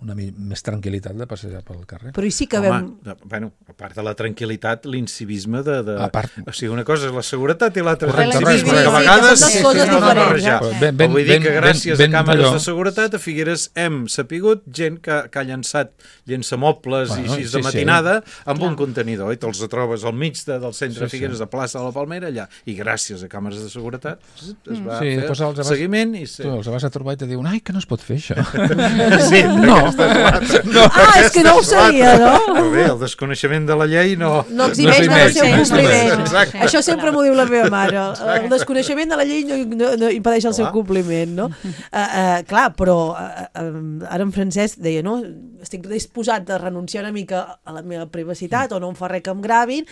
una més tranquil·litat de passejar pel carrer. Però i sí que Home, vam... de, bueno, a part de la tranquil·litat, l'incivisme de... de... Part... O sigui, una cosa és la seguretat i l'altra és Correcte, l'incivisme, correcte. que a vegades Sí, que són dues coses no diferents. barrejar. Ben, ben, Vull dir que ben, gràcies ben, a càmeres allò. de seguretat a Figueres hem sapigut gent que, que ha llançat llençamobles Bueno, i així sí, de matinada sí. amb un contenidor, i te'ls trobes al mig de, del centre Sí, de Figueres, sí. de plaça de la Palmera, allà. I gràcies a càmeres de seguretat es va Sí, fer després els el vas- seguiment i... Se... Tu els vas a trobar i te diuen, ai, que no es pot fer això. Sí, No. aquesta és l'altra. Ah, és que no ho sabia, no? Però bé, el desconeixement de la llei no... No eximeix no del seu compliment. Exacte. Això sempre m'ho diu la meva mare. El desconeixement de la llei no, no, no impedeix el clar. seu compliment, no? Uh, uh, clar, però uh, uh, ara en Francesc deia, no? Estic disposat a renunciar una mica a la meva privacitat o no em fa res que em gravin,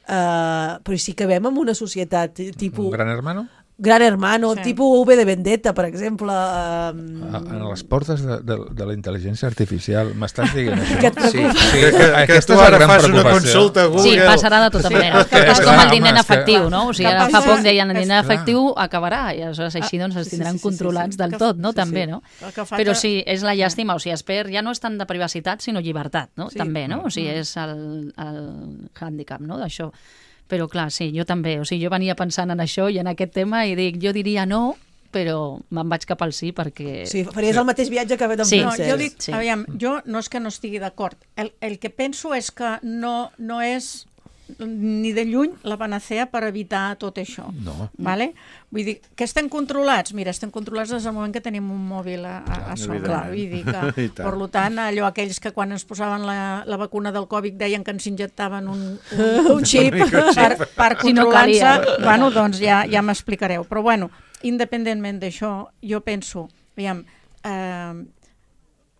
uh, però si acabem en una societat tipus... Un gran hermano? Gran Hermano, Sí. tipus V de Vendetta, per exemple. Um... A, a les portes de, de, de la intel·ligència artificial, m'estàs dient això? Que et preocupa. Sí, que, que, que tu ara fas una consulta a Google. Sí, passarà de tota manera. que- És com clar, el diner home, en és que- efectiu, no? O sigui, ara Que fa passa- poc deien el diner en Clar. efectiu acabarà, i aleshores així doncs els sí, tindran sí, sí, sí, controlats sí. del Que- tot, no? sí, També, sí. no? El que fa Però que- sí, és la llàstima, o sigui, es perd, ja no és tant de privacitat, sinó llibertat, no? Sí. També, no? O sigui, és el, el hàndicap, no?, d'això. Però clar, sí, jo també, o sigui, jo venia pensant en això i en aquest tema i dic, jo diria no, però me'n vaig cap al sí perquè... Sí, faries el mateix viatge que ha fet en Sí. No, Francesc. jo dic, Sí. aviam, jo no és que no estigui d'acord. El, el que penso és que no, no és ni de lluny la panacea per evitar tot això. No. Vale? Vull dir, que estem controlats? Mira, estem controlats des del moment que tenim un mòbil a, a, a sobre. evidentment. Vull dir I que, tant. per tant, allò aquells que quan ens posaven la, la vacuna del Covid deien que ens injectaven un, un, Un xip. per, per Si no controlar-se, calia. bueno, doncs ja, ja m'explicareu. Però bueno, independentment d'això, jo penso, aviam, eh,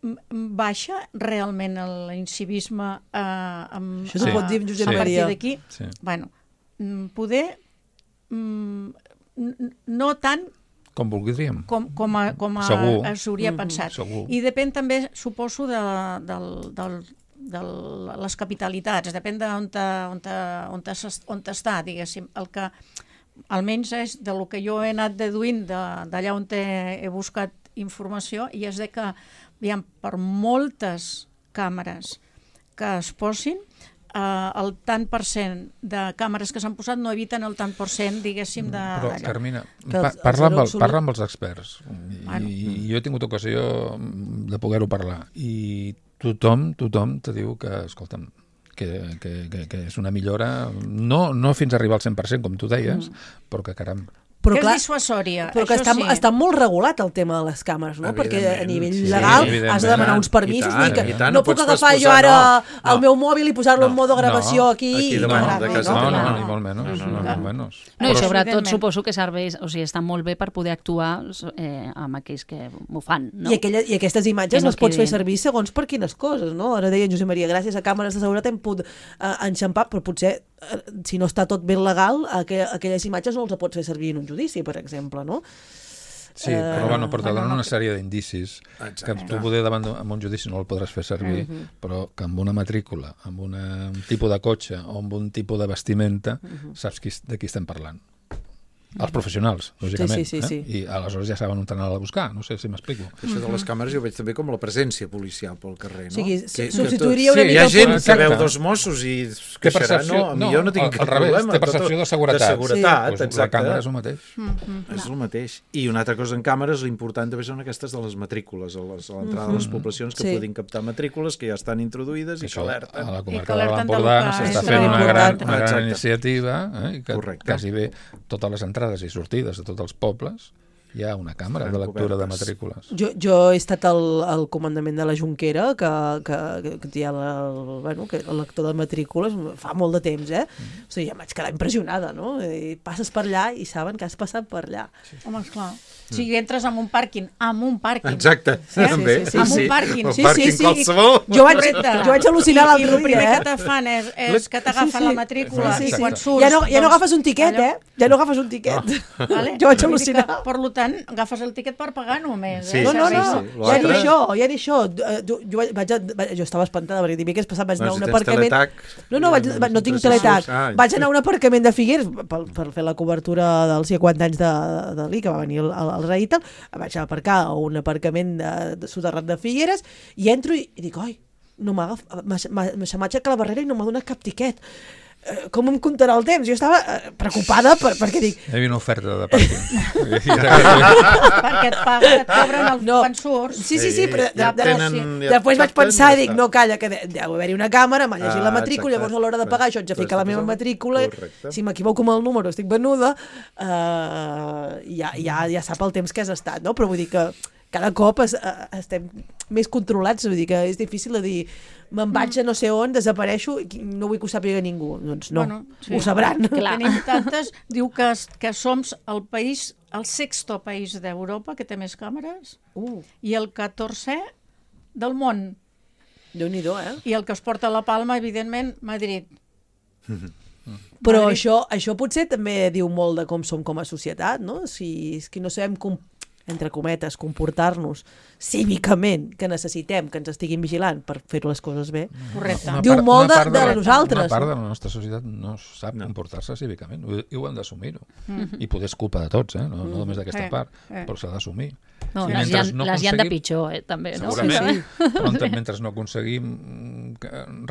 m- baixa realment l'incivisme eh, amb, Això s'ho pot dir en Josep a partir Maria. d'aquí? Sí. Bueno, mm, poder mm, n- no tant Com voldríem. com, com, a, com a, Segur. s'hauria pensat. Segur. I depèn també, suposo, de, del, del, de les capitalitats, depèn d'on te- on te- on te s'es- on t'està, diguéssim. El que almenys és de lo que jo he anat deduint de- d'allà on he, he buscat informació, i és de que aviam, per moltes càmeres que es posin, eh, el tant per cent de càmeres que s'han posat no eviten el tant per cent, diguéssim, de... Però, d'allò. Carmina, Que pa els- parla, amb els el, absolut- parla amb els experts. I, Bueno. I jo he tingut ocasió de poder-ho parlar. I tothom, tothom te diu que, escolta'm, que, que, que, que és una millora, no, no fins a arribar al cent per cent, com tu deies, Mm. però que, caram, Però que clar, és dissuasòria, però que això està, sí. està molt regulat el tema de les càmeres, no? Perquè a Evidentment, nivell sí, legal evidentment. has de demanar uns permisos. I tant, vull dir que i tant, no no puc pots agafar jo posposar, ara no, el no. meu mòbil i posar-lo en No, modo gravació no, aquí. aquí i davant parar-lo, de casa no? no, teva. no, no. ni molt menys, no, ni molt menys. No, i Però- sobretot Evidentment. suposo que serveix, o sigui, està molt bé per poder actuar eh, amb aquells que ho fan, no? I, aquella, I aquestes imatges Que no les pots fer quedin. servir segons per quines coses, no? Ara deia en Josep Maria, gràcies a càmeres de seguretat hem pogut uh, enxampar, però potser, uh, si no està tot ben legal, aqu aquelles imatges no els pots fer servir en un judici, per exemple, no? Sí, però bueno, però te bueno, donen no- una sèrie d'indicis que Exacte. tu poder davant d'un- amb un judici no el podràs fer servir, però que amb una matrícula, amb una, un tipus de cotxe o amb un tipus de vestimenta, saps qui, de qui estem parlant. Els professionals, lògicament. Sí, sí, sí, eh? I aleshores ja saben on anar a buscar, no sé si m'explico. Això de les càmeres jo veig també com la presència policial pel carrer, no? O sigui, Que- que substituiria tot- una sí, mica hi ha el gent que Exacte. veu dos Mossos i es Té queixarà, percepció, no, a mi jo no tinc al, cap al revés, problema. té percepció de seguretat. De seguretat, Pues exacte. la càmera és el mateix. És el mateix. I una altra cosa en càmeres, l'important també són aquestes de les matrícules, a les- a l'entrada de les poblacions que Sí. puguin captar matrícules que ja estan introduïdes i que Això, alerten. a la I que comarca de alerten de l'Empordà lo que s'està és fent una gran, important. una gran Exacte. iniciativa, eh? I que Correcte. quasi bé totes les entrades i sortides de tots els pobles hi ha una càmera de lectura de matrícules. Jo, jo he estat al, al comandament de la Jonquera, que, que, que hi ha la, el, bueno, que el lector de matrícules fa molt de temps, eh? O sigui, ja em vaig quedar impressionada, no? I passes per allà i saben que has passat per allà. Home, esclar. O sigui, entres en un pàrquing, amb un pàrquing. Exacte, Eh? també. Sí, sí, sí. Amb un pàrquing. El Sí, pàrquing sí, sí. qualsevol. Jo vaig, Correcte. jo vaig al·lucinar I, i l'altre el primer dia, que eh? te fan és, és que t'agafen Sí, sí. la matrícula Sí, i sí. quan surts... Ja no, ja no doncs, agafes un tiquet, allò- eh? Ja no agafes un tiquet. Vale? Jo vaig Vull dir al·lucinar. que, Per tant, agafes el tiquet per pagar només. Sí, eh? No, no, sí, no, sí. ja ni L'altre- això, ja ni això. Eh, Jo, jo, vaig, vaig, jo estava espantada perquè dimecres passat vaig anar a No, un si tens aparcament... teletac, No, no, vaig, doncs no tinc no sé si teletac. surts. Ah, Vaig anar a un aparcament de Figueres per, per fer la cobertura dels cinquanta anys de, de l'I, que va venir el, el, el rei i tal. Vaig aparcar a un aparcament de, de soterrat de Figueres i entro i, i dic, oi, no m'ha agafat, m'ha aixecat la barrera i no m'ha donat cap tiquet. Eh, Com em comptarà el temps? Jo estava eh, preocupada per, perquè dic, Hi havia una oferta de pàrquing. Perquè et paguen, et cobren el No. quan surts. sí, sí, sí, però ja de, de, tenen- ja després vaig capten, pensar ja i dic, està. no, calla, que de- deu haver-hi una càmera, m'ha llegit Ah, la matrícula, exacte. llavors a l'hora de pagar això haig de Pues ficar la estàs meva al- matrícula, correcte. si m'equivoco amb el número estic venuda, eh, ja, ja, ja sap el temps que has estat, no? Però vull dir que cada cop es, estem més controlats, vull dir que és difícil de dir me'n vaig a no sé on, desapareixo i no vull que ho sàpiga ningú. Doncs no, bueno, sí. Ho sabran. Clar. Tenim tantes, diu que, que som el país, el sexto país d'Europa que té més càmeres uh. i el catorzè del món. Déu-n'hi-do, eh? I el que es porta la palma, evidentment, Madrid. Però això, això potser també diu molt de com som com a societat, no? Si és que no sabem com, entre cometes, comportar-nos cívicament, que necessitem que ens estiguin vigilant per fer les coses bé. Correcte. Diu part, molt de, de, de nosaltres. Una part de la nostra societat no sap no. comportar-se cívicament, i ho hem d'assumir-ho. Mm-hmm. I poder és culpa de tots, eh? no, no només d'aquesta eh, part, eh. però s'ha d'assumir. No, sí, les, hi ha, no les hi han de pitjor, eh, també. No? Segurament, sí, sí. Però mentre no aconseguim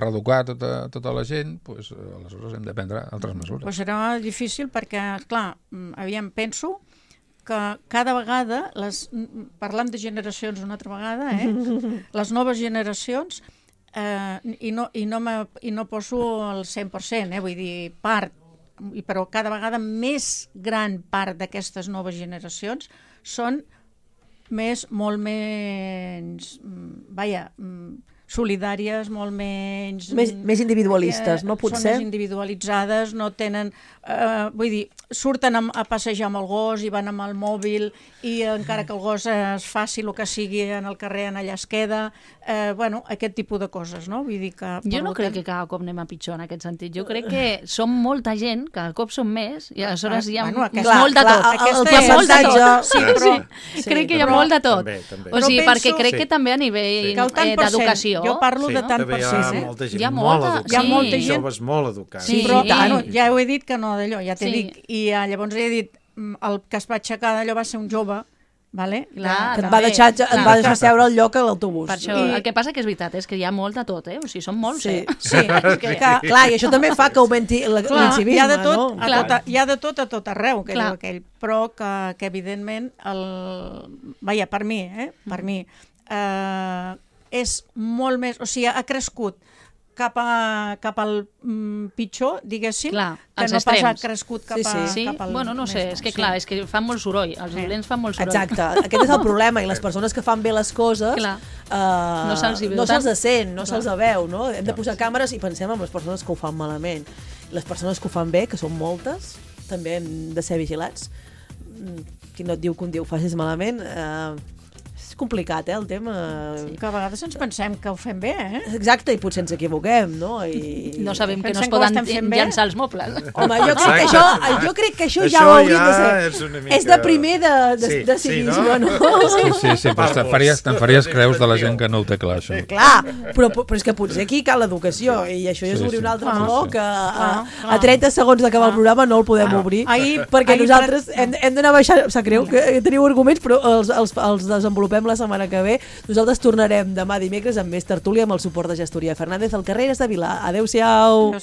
reeducar tota, tota la gent, pues, aleshores hem de prendre altres mesures. Pues serà difícil perquè, clar, aviam, penso que cada vegada, les, parlant de generacions una altra vegada, eh, les noves generacions, eh, i, no, i, no me, i no poso el cent per cent, eh, vull dir, part, però cada vegada més gran part d'aquestes noves generacions són més, molt menys, vaja, solidàries, molt menys... Més, més individualistes, eh, no? Potser? Són més individualitzades, no tenen... Eh, vull dir, surten a, a passejar amb el gos i van amb el mòbil i encara que el gos es faci el que sigui en el carrer, en allà es queda... Eh, bueno, aquest tipus de coses, no? Vull dir que... Jo no crec que cada cop anem a pitjor en aquest sentit. Jo crec que som molta gent, cada cop som més, i aleshores hi ha bueno, aquest, molt de tot. Aquesta hi ha molt de tot. Sí, però, sí, crec que hi ha molt de tot. També, també. O sigui, penso, perquè crec sí. que també a nivell sí. eh, d'educació... Jo parlo sí, de tant per cent. Hi ha molta gent hi ha molt molta, educada. Hi ha molta gent... Joves molt educats. Sí, però bueno, ja ho he dit que no d'allò, ja t'he sí. dit. I uh, llavors he dit, el que es va aixecar d'allò va ser un jove, vale? Clar, que et va deixar, et clar. va deixar seure al lloc a l'autobús. Per això, I... el que passa que és veritat, és que hi ha molt de tot, eh? O sigui, són molts, sí. eh? Sí, és que, que, clar, i això també fa que augmenti l'incivisme, hi ha de tot, no? A tot, hi ha de tot a tot arreu, que clar. diu aquell, però que, que evidentment, el... vaja, per mi, eh? Per mi, eh, és molt més... O sigui, ha crescut cap, a, cap al mm, pitjor, diguéssim, clar, que no pas ha crescut cap, sí, sí. a, sí? cap al... Bueno, no sé, és que clar, és que fan molt soroll, els dolents fan molt soroll. Exacte, aquest és el problema, i les persones que fan bé les coses clar. Uh, no se'ls no se sent, no se'ls veu, no? Hem de No. posar càmeres i pensem en les persones que ho fan malament. Les persones que ho fan bé, que són moltes, també hem de ser vigilats. Qui no et diu que un dia ho facis malament... Uh, és complicat, eh, el tema. Sí. Que a vegades ens pensem que ho fem bé, eh? Exacte, i potser ens equivoquem, no? I... No sabem que no Pensem es poden que ho llançar els mobles. Home, jo crec que això, jo crec que això, Això ja ho hauria ja de ser. és una mica- És de primer de, de, Sí, de sí, civisme, no? no? Sí, sí, sí, però te'n faries, te'n faries creus de la gent que no ho té clar, això. Clar, però, però és que potser aquí cal l'educació, i això ja és Sí, obrir sí. un altre Clar, meló sí. que a, Clar, a trenta segons d'acabar el programa no el podem Clar. obrir, Ahir- perquè ahir nosaltres per- hem, hem d'anar baixant, em sap greu que teniu arguments, però els, els, els desenvolupem la setmana que ve. Nosaltres tornarem demà dimecres amb més tertúlia amb el suport de Gestoria Fernández al carrer de Vilà. Adéu-siau!